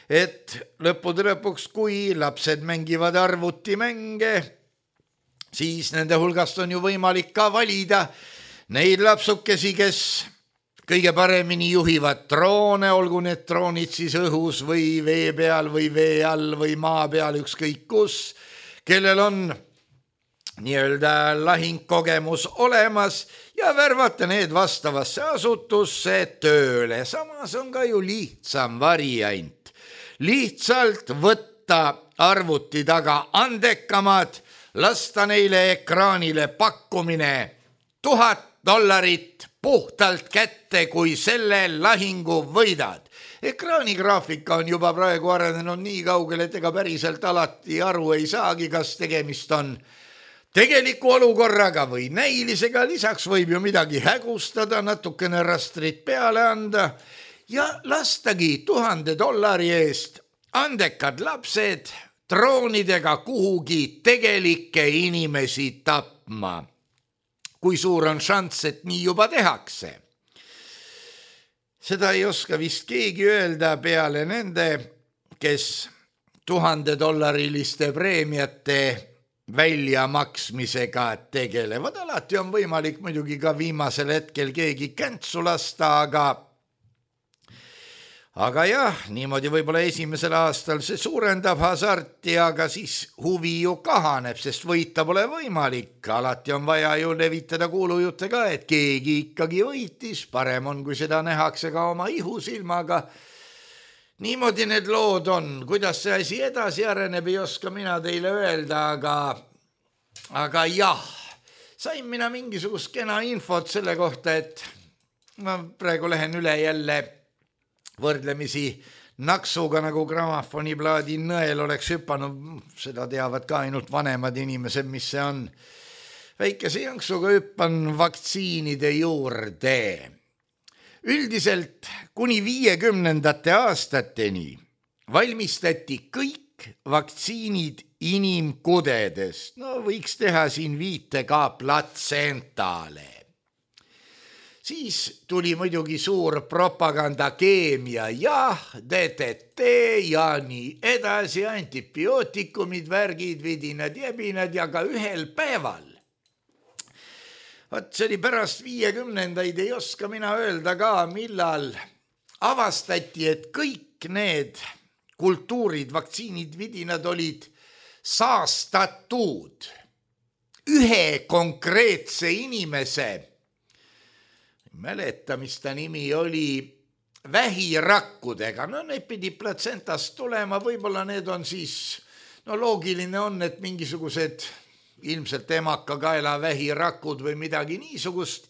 et lõppude lõpuks, kui lapsed mängivad arvutimänge, siis nende hulgast on ju võimalik ka valida neid lapsukesi, kes kõige paremini juhivad droone, olgu need droonid siis õhus või vee peal või vee all või maa peal, ükskõik kus, kellel on nii-öelda lahingkogemus olemas ja värvata need vastavasse asutusse tööle. Samas on ka ju lihtsam variant. Lihtsalt võtta arvuti taga andekamad, lasta neile ekraanile pakkumine $1000 puhtalt kätte, kui selle lahingu võidad. Ekraanigraafika on juba praegu arenenud nii kaugele, et ega päriselt alati aru ei saagi, kas tegemist on tegeliku olukorraga või näilisega, lisaks võib ju midagi hägustada, natukene rastrit peale anda ja lastagi $1000 eest andekad lapsed droonidega kuhugi tegelikke inimesi tapma. Kui suur on šanss, et nii juba tehakse? Seda ei oska vist keegi öelda peale nende, kes $1000 preemiate väljamaksmisega tegelevad. Alati on võimalik muidugi ka viimasel hetkel keegi käntsu lasta, aga jah, niimoodi võib-olla esimesel aastal see suurendab hasarti, aga siis huvi ju kahaneb, sest võita pole võimalik. Alati on vaja ju levitada kuulujutte ka, et keegi ikkagi võitis, parem on, kui seda nähakse ka oma ihusilmaga. Niimoodi need lood on, kuidas see asi edasi areneb, ei oska mina teile öelda, aga jah, sain mina mingisugust kena infot selle kohta, et ma praegu lähen üle jälle võrdlemisi naksuga, nagu gramafoniplaadi nõel oleks hüpanud, seda teavad ka ainult vanemad inimesed, mis see on. Väikese janksuga hüppan vaktsiinide juurde. Üldiselt kuni 50. aastateni valmistati kõik vaktsiinid inimkudedest. No võiks teha siin viite ka platsentale. Siis tuli muidugi suur propagandakeemia, jah, DDT ja nii edasi, antibiootikumid, värgid, vidinad, jebinad ja ka ühel päeval. Vaat see oli pärast 50-ndaid, ei oska mina öelda ka, millal avastati, et kõik need kultuurid, vaktsiinid, vidinad olid saastatud ühe konkreetse inimese, mäleta, mis ta nimi oli, vähirakkudega. No need pidi platsentast tulema, võib-olla need on siis, no loogiline on, et mingisugused ilmselt emakakaela vähirakud või midagi niisugust.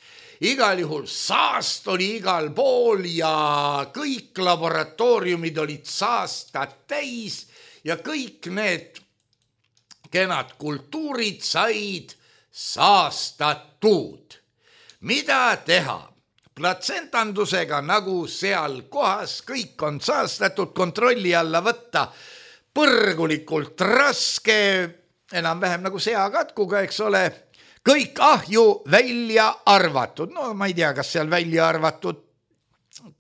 Igal juhul saast oli igal pool ja kõik laboratooriumid olid saastat täis ja kõik need kenad kultuurid said saastatud. Mida teha? Platsentandusega, nagu seal kohas kõik on saastatud, kontrolli alla võtta põrgulikult raske, enam-vähem nagu seakatkuga, eks ole, kõik ahju välja arvatud. No ma ei tea, kas seal välja arvatud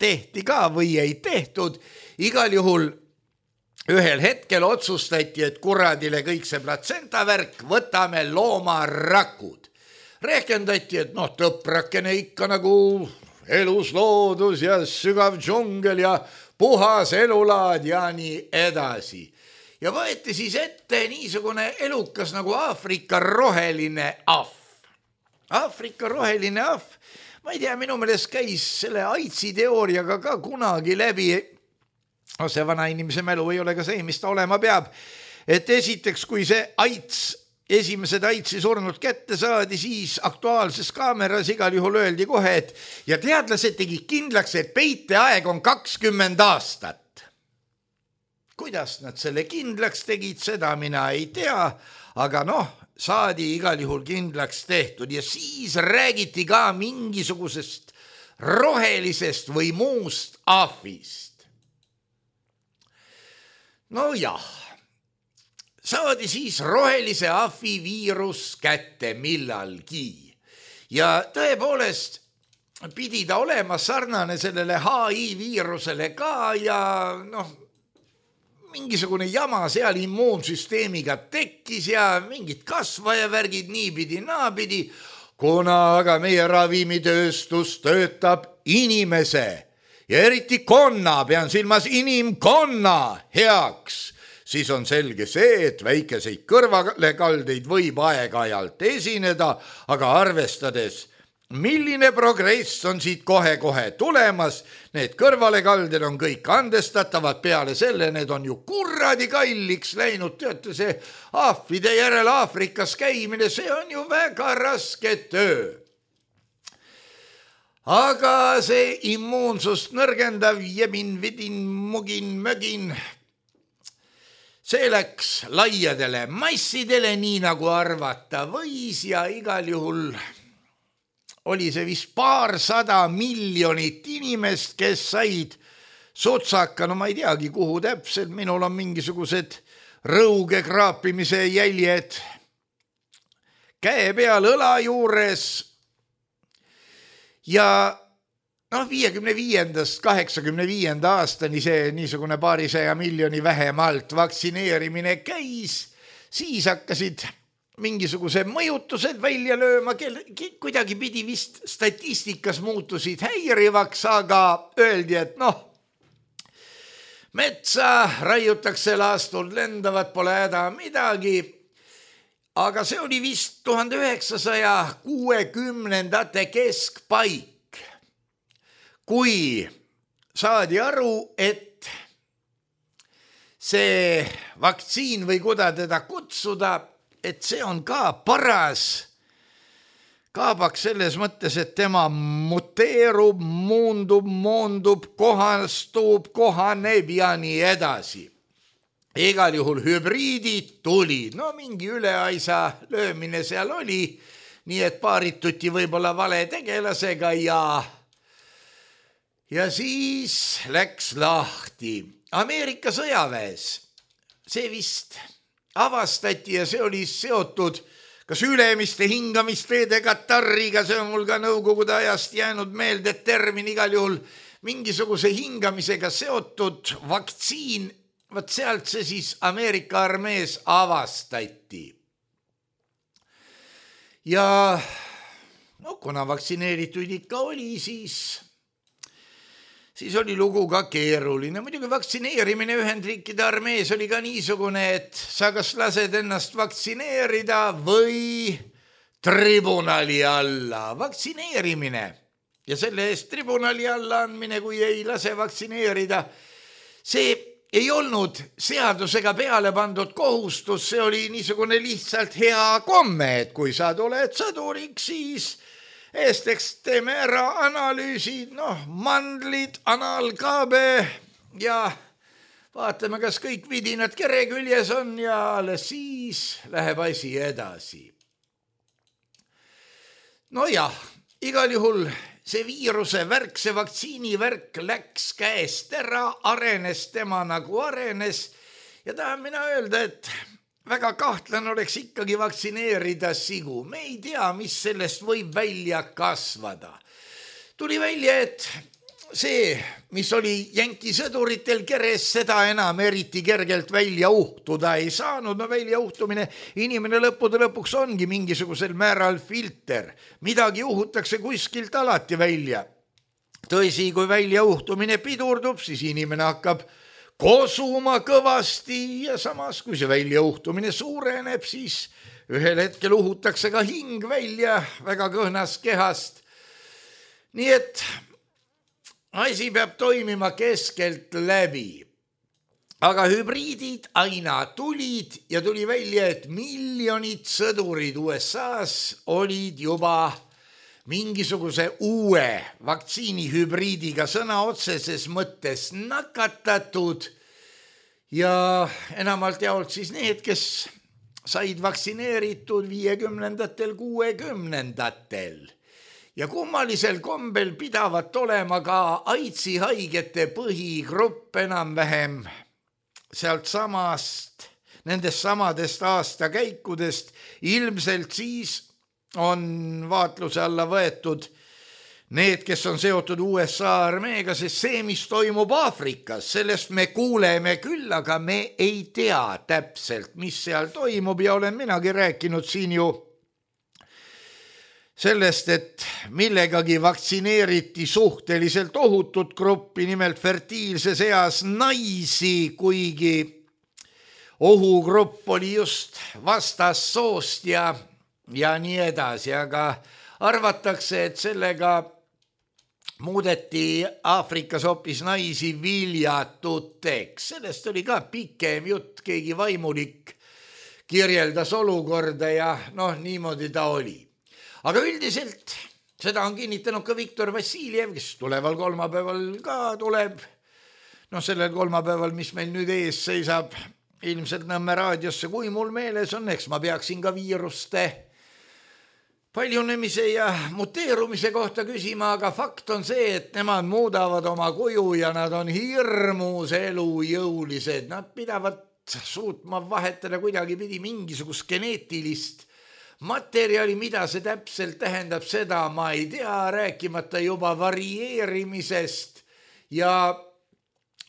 tehti ka või ei tehtud. Igal juhul ühel hetkel otsustati, et kuradile kõik see platsentavärk, võtame loomarakud. Rehkendati, et tõprakene ikka nagu elus loodus ja sügav džungel ja puhas elulaad ja nii edasi. Ja võeti siis ette niisugune elukas nagu Aafrika roheline ahv. Aafrika roheline ahv, ma ei tea, minu meelest käis selle AIDSi teooriaga ka kunagi läbi. See vana inimese mälu ei ole ka see, mis ta olema peab. Et esiteks, kui see esimesed AIDSi surnud kätte saadi, siis aktuaalses kaameras igal juhul öeldi kohe, et ja teadlased tegid kindlaks, et peiteaeg on 20 aastat. kuidas nad selle kindlaks tegid, seda mina ei tea, aga saadi igal juhul kindlaks tehtud ja siis räägiti ka mingisugusest rohelisest või muust ahvist. Saadi siis rohelise ahvi viirus kätte millalgi ja tõepoolest pidi ta olema sarnane sellele HI viirusele ka ja mingisugune jama seal immuunsüsteemiga tekkis ja mingid kasvajavärgid niipidi naapidi, kuna aga meie ravimitööstus töötab inimese ja eriti konna, pean silmas inimkonna heaks, siis on selge see, et väikeseid kõrvalekaldeid võib aeg-ajalt esineda, aga arvestades, milline progress on siit kohe-kohe tulemas, need kõrvalekalded on kõik andestatavad, peale selle need on ju kurradi kalliks läinud, teate see ahvide järel Aafrikas käimine, see on ju väga raske töö. Aga see immuunsust nõrgendav jebin-vidin-mugin-mögin, see läks laiadele massidele, nii nagu arvata võis ja igal juhul oli see vist 200 miljonit inimest, kes said sotsaka, ma ei teagi, kuhu täpselt, minul on mingisugused rõuge kraapimise jäljed käe peal õla juures ja 55. 85. aastani see niisugune 200 miljoni vähemalt vaktsineerimine käis, siis hakkasid mingisuguse mõjutused välja lööma, kuidagi pidi vist statistikas muutusid häirivaks, aga öeldi, et metsa raiutakse, laastud lendavad, pole häda midagi. Aga see oli vist 1960. keskpaik, kui saadi aru, et see vaktsiin või kuda teda kutsuda, et see on ka paras kaabaks selles mõttes, et tema muteerub, moondub, kohastub, kohaneb ja nii edasi. Igal juhul hübriidid tulid, mingi üleaisa löömine seal oli, nii et paarituti võib-olla vale tegelasega ja siis läks lahti. Ameerika sõjaväes see vist avastati ja see oli seotud kas ülemiste hingamisteede katarriga, see on mul ka nõukogude ajast jäänud meelde termin, igal juhul mingisuguse hingamisega seotud vaktsiin, vaat sealt see siis Ameerika armees avastati. Ja kuna vaktsineerituid ikka oli, siis oli lugu ka keeruline. Muidugi vaktsineerimine Ühendriikide armees oli ka niisugune, et sa kas lased ennast vaktsineerida või tribunali alla. Vaktsineerimine ja selle eest tribunali alla andmine, kui ei lase vaktsineerida, see ei olnud seadusega peale pandud kohustus, see oli niisugune lihtsalt hea komme, et kui sa tuled sõduriks, siis Esteks teeme ära analüüsid, mandlid, analkaabe ja vaatame, kas kõik vidinad kere küljes on ja alles siis läheb asi edasi. Igal juhul see viiruse värk, see vaktsiini värk läks käest ära, arenes tema nagu arenes ja tahan mina öelda, et väga kahtlane oleks ikkagi vaktsineerida sigu. Me ei tea, mis sellest võib välja kasvada. Tuli välja, et see, mis oli jänki sõduritel keres, seda enam eriti kergelt välja uhtuda ei saanud. Välja uhtumine, inimene lõppude lõpuks ongi mingisugusel määral filter. Midagi uhutakse kuskilt alati välja. Tõsi, kui välja uhtumine pidurdub, siis inimene hakkab kosuma kõvasti ja samas, kui see väljauhtumine suureneb, siis ühel hetkel uhutakse ka hing välja väga kõhnast kehast. Nii et asi peab toimima keskelt läbi. Aga hübriidid aina tulid ja tuli välja, et miljonid sõdurid USA-s olid juba mingisuguse uue vaktsiinihübriidiga sõna otseses mõttes nakatatud ja enamalt jaolt siis need, kes said vaktsineeritud 50-ndatel, 60-ndatel. Ja kummalisel kombel pidavat olema ka AIDSi haigete põhigrupp enam-vähem sealt samast, nendest samadest aastakäikudest. Ilmselt siis on vaatluse alla võetud need, kes on seotud USA armeega, sest see, mis toimub Aafrikas, sellest me kuuleme küll, aga me ei tea täpselt, mis seal toimub ja olen minagi rääkinud siin ju sellest, et millegagi vaktsineeriti suhteliselt ohutut gruppi, nimelt fertiilses eas naisi, kuigi ohugrupp oli just vastassoost ja nii edasi, aga arvatakse, et sellega muudeti Aafrikas hoopis naisi viljatuteks. Sellest oli ka pikem jutt, keegi vaimulik kirjeldas olukorda ja niimoodi ta oli. Aga üldiselt seda on kinnitanud ka Viktor Vassiljev, kes tuleval kolmapäeval ka tuleb. Sellel kolmapäeval, mis meil nüüd ees seisab, ilmselt Nõmme raadiosse, kui mul meeles on, eks ma peaksin ka viiruste paljunemise ja muteerumise kohta küsima, aga fakt on see, et nemad muudavad oma kuju ja nad on hirmus elujõulised. Nad pidavad suutma vahetada kuidagipidi mingisugust geneetilist materjali, mida see täpselt tähendab, seda ma ei tea, rääkimata juba varieerimisest ja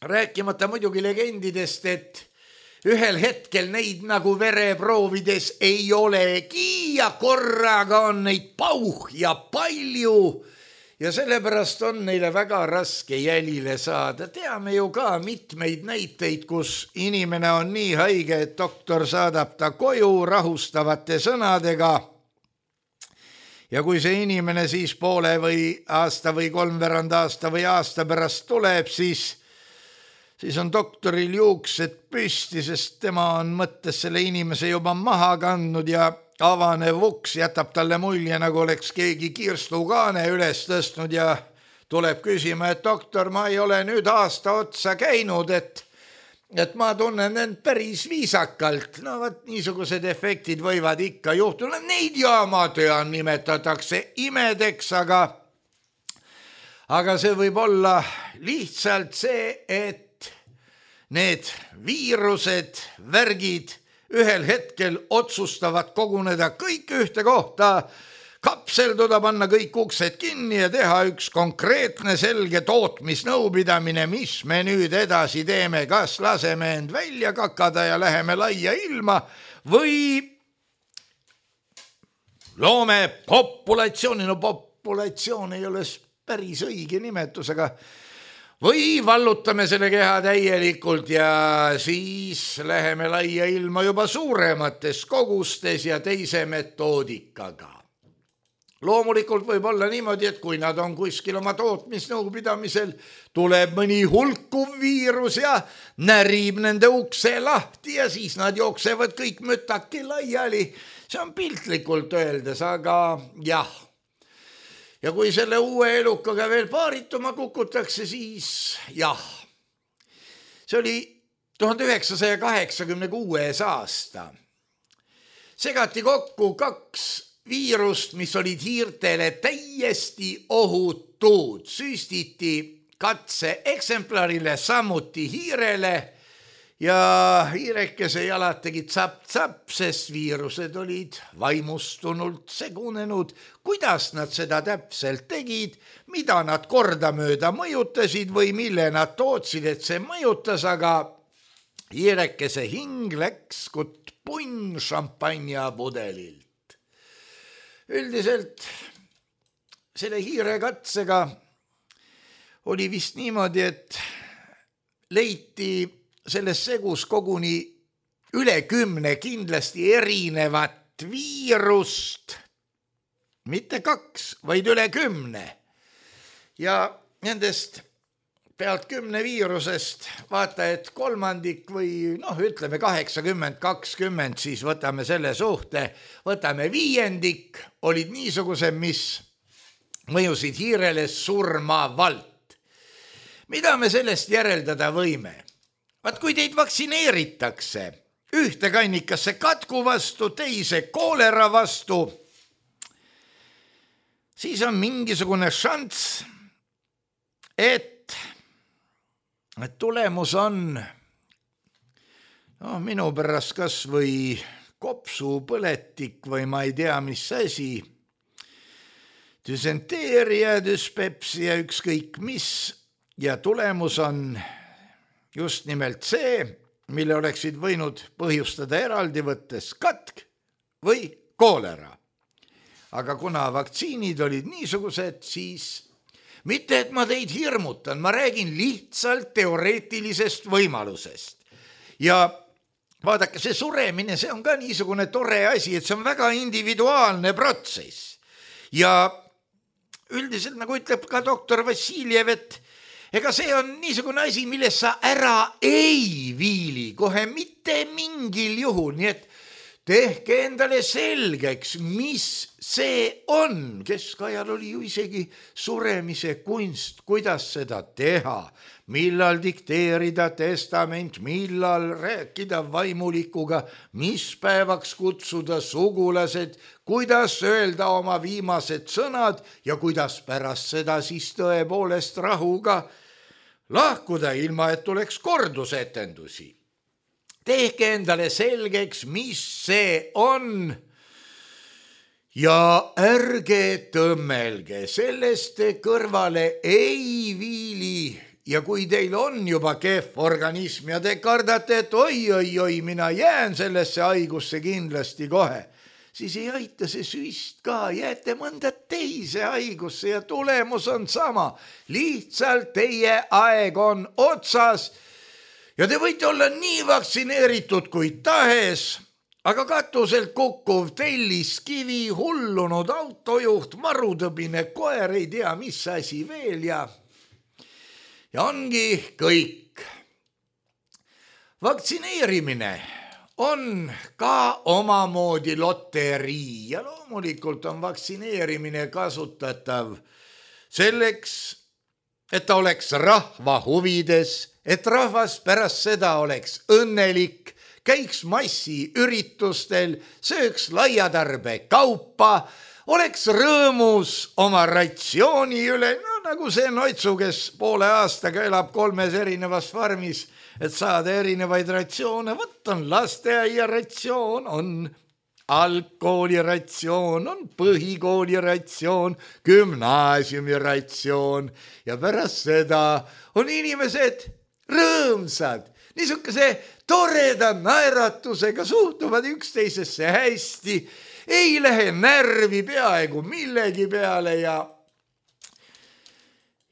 rääkimata muidugi legendidest, et ühel hetkel neid nagu vereproovides ei olegi ja korraga on neid pauh ja palju ja sellepärast on neile väga raske jälile saada. Teame ju ka mitmeid näiteid, kus inimene on nii haige, et doktor saadab ta koju rahustavate sõnadega ja kui see inimene siis poole või aasta või kolmveerand aasta või aasta pärast tuleb, siis on doktoril juuksed püsti, sest tema on mõttes selle inimese juba maha kandnud ja avanev uks jätab talle mulje, nagu oleks keegi kirstukaane üles tõstnud ja tuleb küsima, et doktor, ma ei ole nüüd aasta otsa käinud, et ma tunnen end päris viisakalt. Vaat niisugused efektid võivad ikka juhtuda. Neid jaamatöön nimetatakse imedeks, aga see võib olla lihtsalt see, et need viirused, värgid ühel hetkel otsustavad koguneda kõik ühte kohta, kapselduda, panna kõik uksed kinni ja teha üks konkreetne selge tootmisnõupidamine, mis me nüüd edasi teeme, kas laseme end välja kakada ja läheme laia ilma või loome populatsiooni. Populatsioon ei ole päris õige nimetus, aga või vallutame selle keha täielikult ja siis läheme laia ilma juba suuremates kogustes ja teise metoodikaga. Loomulikult võib olla niimoodi, et kui nad on kuskil oma tootmisnõupidamisel, tuleb mõni hulkuv viirus ja närib nende ukse lahti ja siis nad jooksevad kõik mütaki laiali. See on piltlikult öeldes, aga jah. Ja kui selle uue elukaga veel paarituma kukutakse, siis jah. See oli 1986 aasta. Segati kokku 2 viirust, mis olid hiirtele täiesti ohutud. Süstiti katseeksemplarile, samuti hiirele ja hiirekese jalad tegid tsapp-tsapp, sest viirused olid vaimustunult segunenud. Kuidas nad seda täpselt tegid, mida nad kordamööda mõjutasid või mille nad tootsid, et see mõjutas, aga hiirekese hing läks kui punn šampanjapudelilt. Üldiselt selle hiirekatsega oli vist niimoodi, et leiti selles segus koguni üle 10 kindlasti erinevat viirust, mitte 2, vaid üle 10. Ja nendest pealt 10 viirusest vaata, et kolmandik või ütleme 80-20, siis võtame selle suhte, võtame viiendik, olid niisugused, mis mõjusid hiirele surmavalt. Mida me sellest järeldada võime? vaat kui teid vaktsineeritakse ühte kannikasse katku vastu, teise koolera vastu, siis on mingisugune šanss, et tulemus on minu pärast kas või kopsupõletik või ma ei tea, mis asi, düsenteeria, düspepsia, ükskõik mis, ja tulemus on just nimelt see, mille oleksid võinud põhjustada eraldi võttes katk või koolera. Aga kuna vaktsiinid olid niisugused, siis mitte, et ma teid hirmutan, ma räägin lihtsalt teoreetilisest võimalusest. Ja vaadake, see suremine, see on ka niisugune tore asi, et see on väga individuaalne protsess. Ja üldiselt, nagu ütleb ka doktor Vassiljev, et ega see on niisugune asi, milles sa ära ei viili kohe mitte mingil juhul, nii et tehke endale selgeks, mis see on. Keskajal oli ju isegi suremise kunst, kuidas seda teha, millal dikteerida testament, millal rääkida vaimulikuga, mis päevaks kutsuda sugulased, kuidas öelda oma viimased sõnad ja kuidas pärast seda siis tõepoolest rahuga lahkuda, ilma et tuleks kordusetendusi. Tehke endale selgeks, mis see on ja ärge tõmmelge, sellest te kõrvale ei viili. Ja kui teil on juba kehv organism ja te kardate, et oi, mina jään sellesse haigusse kindlasti kohe, siis ei aita see süst ka, jääte mõnda teise haigusse ja tulemus on sama. Lihtsalt teie aeg on otsas. Ja te võite olla nii vaktsineeritud kui tahes, aga katuselt kukkuv telliskivi, hullunud autojuht, marutõbine koer, ei tea mis asi veel ja ongi kõik. Vaktsineerimine on ka omamoodi loterii ja loomulikult on vaktsineerimine kasutatav selleks, et ta oleks rahva huvides, et rahvas pärast seda oleks õnnelik, käiks massiüritustel, sööks laiatarbe kaupa, oleks rõõmus oma ratsiooni üle, nagu see Noitsu, kes poole aastaga elab 3 erinevas farmis, et saada erinevaid ratsioone. Võt on lasteaia ratsioon, on algkooli ratsioon, on põhikooli ratsioon, gümnaasiumi ratsioon ja pärast seda on inimesed rõõmsad, niisuguse toreda naeratusega suhtuvad üksteisesse hästi, ei lähe närvi peaaegu millegi peale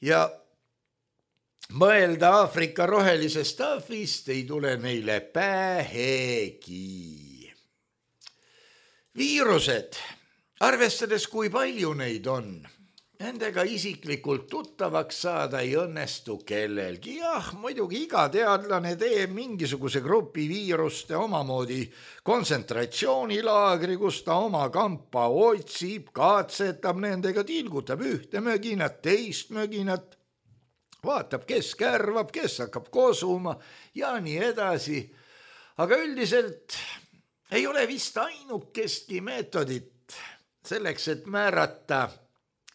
ja mõelda Aafrika rohelisest ahvist ei tule neile pähegi. Viirused, arvestades kui palju neid on, nendega isiklikult tuttavaks saada ei õnnestu kellelgi. Jah, muidugi iga teadlane teeb mingisuguse grupi viiruste omamoodi kontsentratsioonilaagri, kus ta oma kampa otsib, katsetab nendega, tilgutab ühte möginat, teist möginat, vaatab, kes kärvab, kes hakkab kosuma ja nii edasi. Aga üldiselt ei ole vist ainukestki meetodit selleks, et määrata,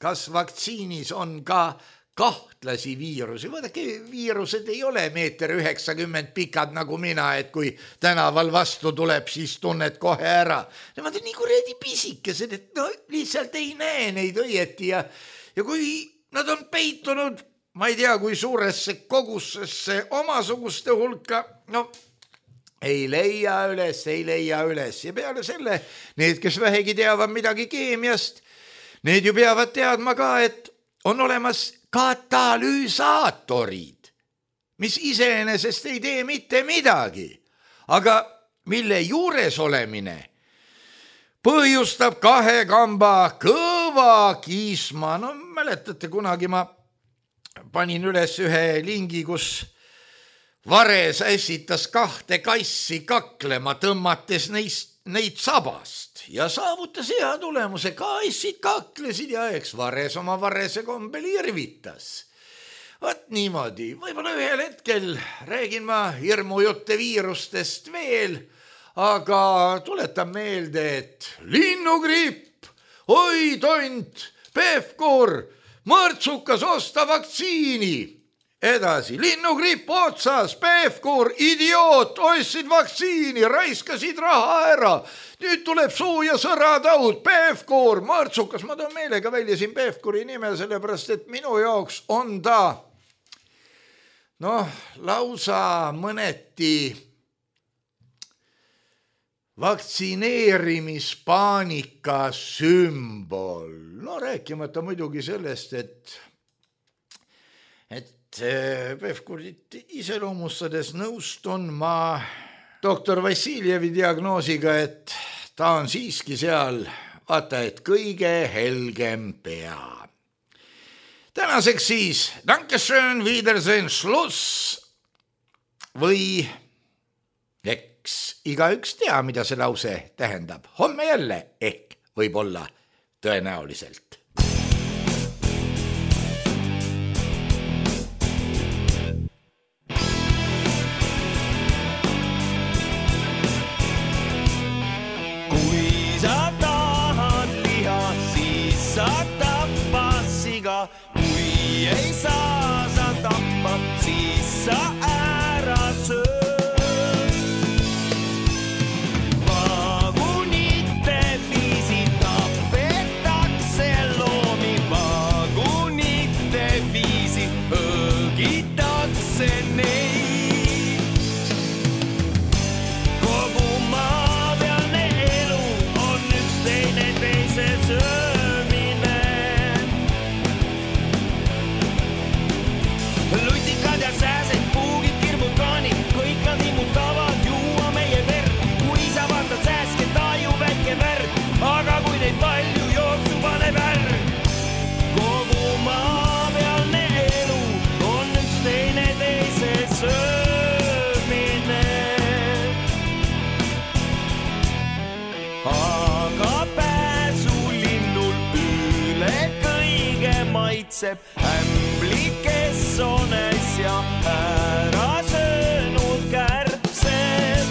kas vaktsiinis on ka kahtlasi viirusi. Vaadake, viirused ei ole 1,90 m pikad nagu mina, et kui tänaval vastu tuleb, siis tunned kohe ära. Nemad on nii kuradi pisikesed, et lihtsalt ei näe neid õieti ja kui nad on peitunud, ma ei tea, kui suuresse kogusesse omasuguste hulka, ei leia üles ja peale selle need, kes vähegi teavad midagi keemiast, need ju peavad teadma ka, et on olemas katalüüsaatorid, mis iseenesest ei tee mitte midagi, aga mille juures olemine põhjustab 2 kamba kõva kiisma. Mäletate, kunagi ma panin üles ühe lingi, kus Vares ässitas 2 kassi kaklema, tõmmates neid sabast ja saavutas hea tulemuse. Kassid kaklesid ja eks Vares oma varese kombel irvitas. Võt niimoodi, võib-olla ühel hetkel räägin ma hirmujutte viirustest veel, aga tuletan meelde, et linnugripp, oi tont, Pevkur, mõrtsukas osta vaktsiini. Edasi, linnugripp otsas, Pevkur, idioot, ostsid vaktsiini, raiskasid raha ära. Nüüd tuleb suu ja sõrataud, Pevkur, mõrtsukas, ma toon meelega välja siin Pevkuri nime, sellepärast et minu jaoks on ta lausa mõneti vaktsineerimispaanika sümbol. Rääkimata muidugi sellest, et Pevkurit iseloomustades nõustun ma doktor Vassiljevi diagnoosiga, et ta on siiski seal, vaata, et kõige helgem pea. Tänaseks siis, Dankeschön, Wiedersehen, Schluss või eks igaüks tea, mida see lause tähendab. Homme jälle ehk võib-olla tõenäoliselt. Kui sa tahad liha, siis sa tappa siga. Kui ei saa sa tappa, siis sa ära söö. Vagunite viisi tapetakse loomi, vagunite viisi õgitakse neid. Kogu maapealne elu on üks teine teise söömine. Lutikad ja sääsed, puugid, kirmud, kaanid, kõik nad immutavad juua meie verd. Kui sa vaatad sääske, taju väike värd, aga kui neid palju jooksu paneb värg. Kogu maapealne elu on üks teine teise söömine. Aga pääsulinnul üle kõige maitseb ämbli, kes on äsja ära söönud kärbsed.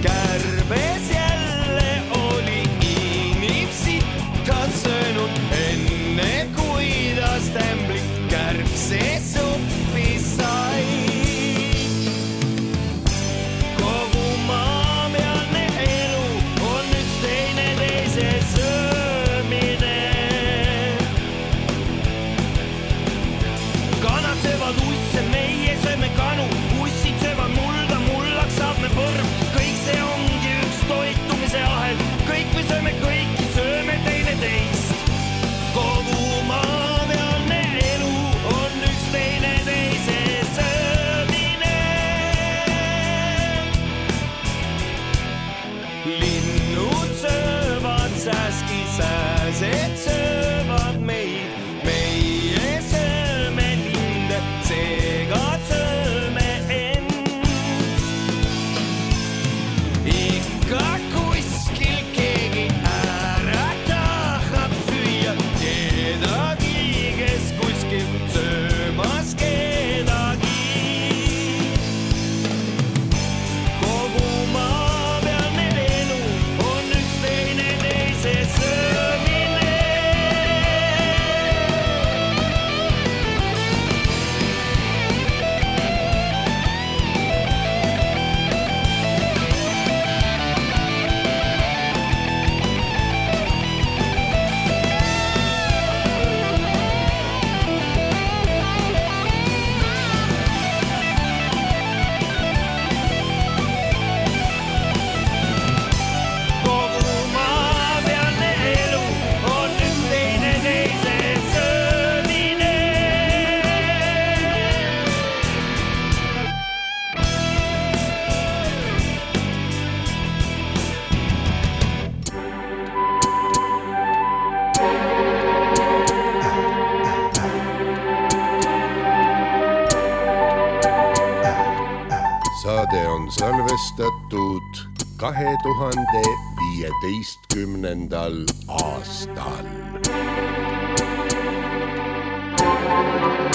Kärbes jälle oli inimsita söönud, enne kui ta ämblit kärbsesuppi sai. Kogu maapealne elu on üks teine teise söömine. Kanad söövad usse, meie sööme kanu, ussid söövad mulda, mullaks saab me põrm. Kõik see ongi üks toitumise ahel, kõik me sööme kõiki, sööme teine teist. Kogu maapealne elu on üks teine teise söömine. Linnud söövad sääski, sääsed söövad meid, meie sööme linde, seega sööme end. Ikka kuskil keegi ära tahab süüa kedagi, kes kuskil söömas kedagi. Kogu maapealne elu on üks teine teise söömine. Kogu maapealne elu on üks teine teise söömine. Saade on salvestatud 2015. aastal. Thank you.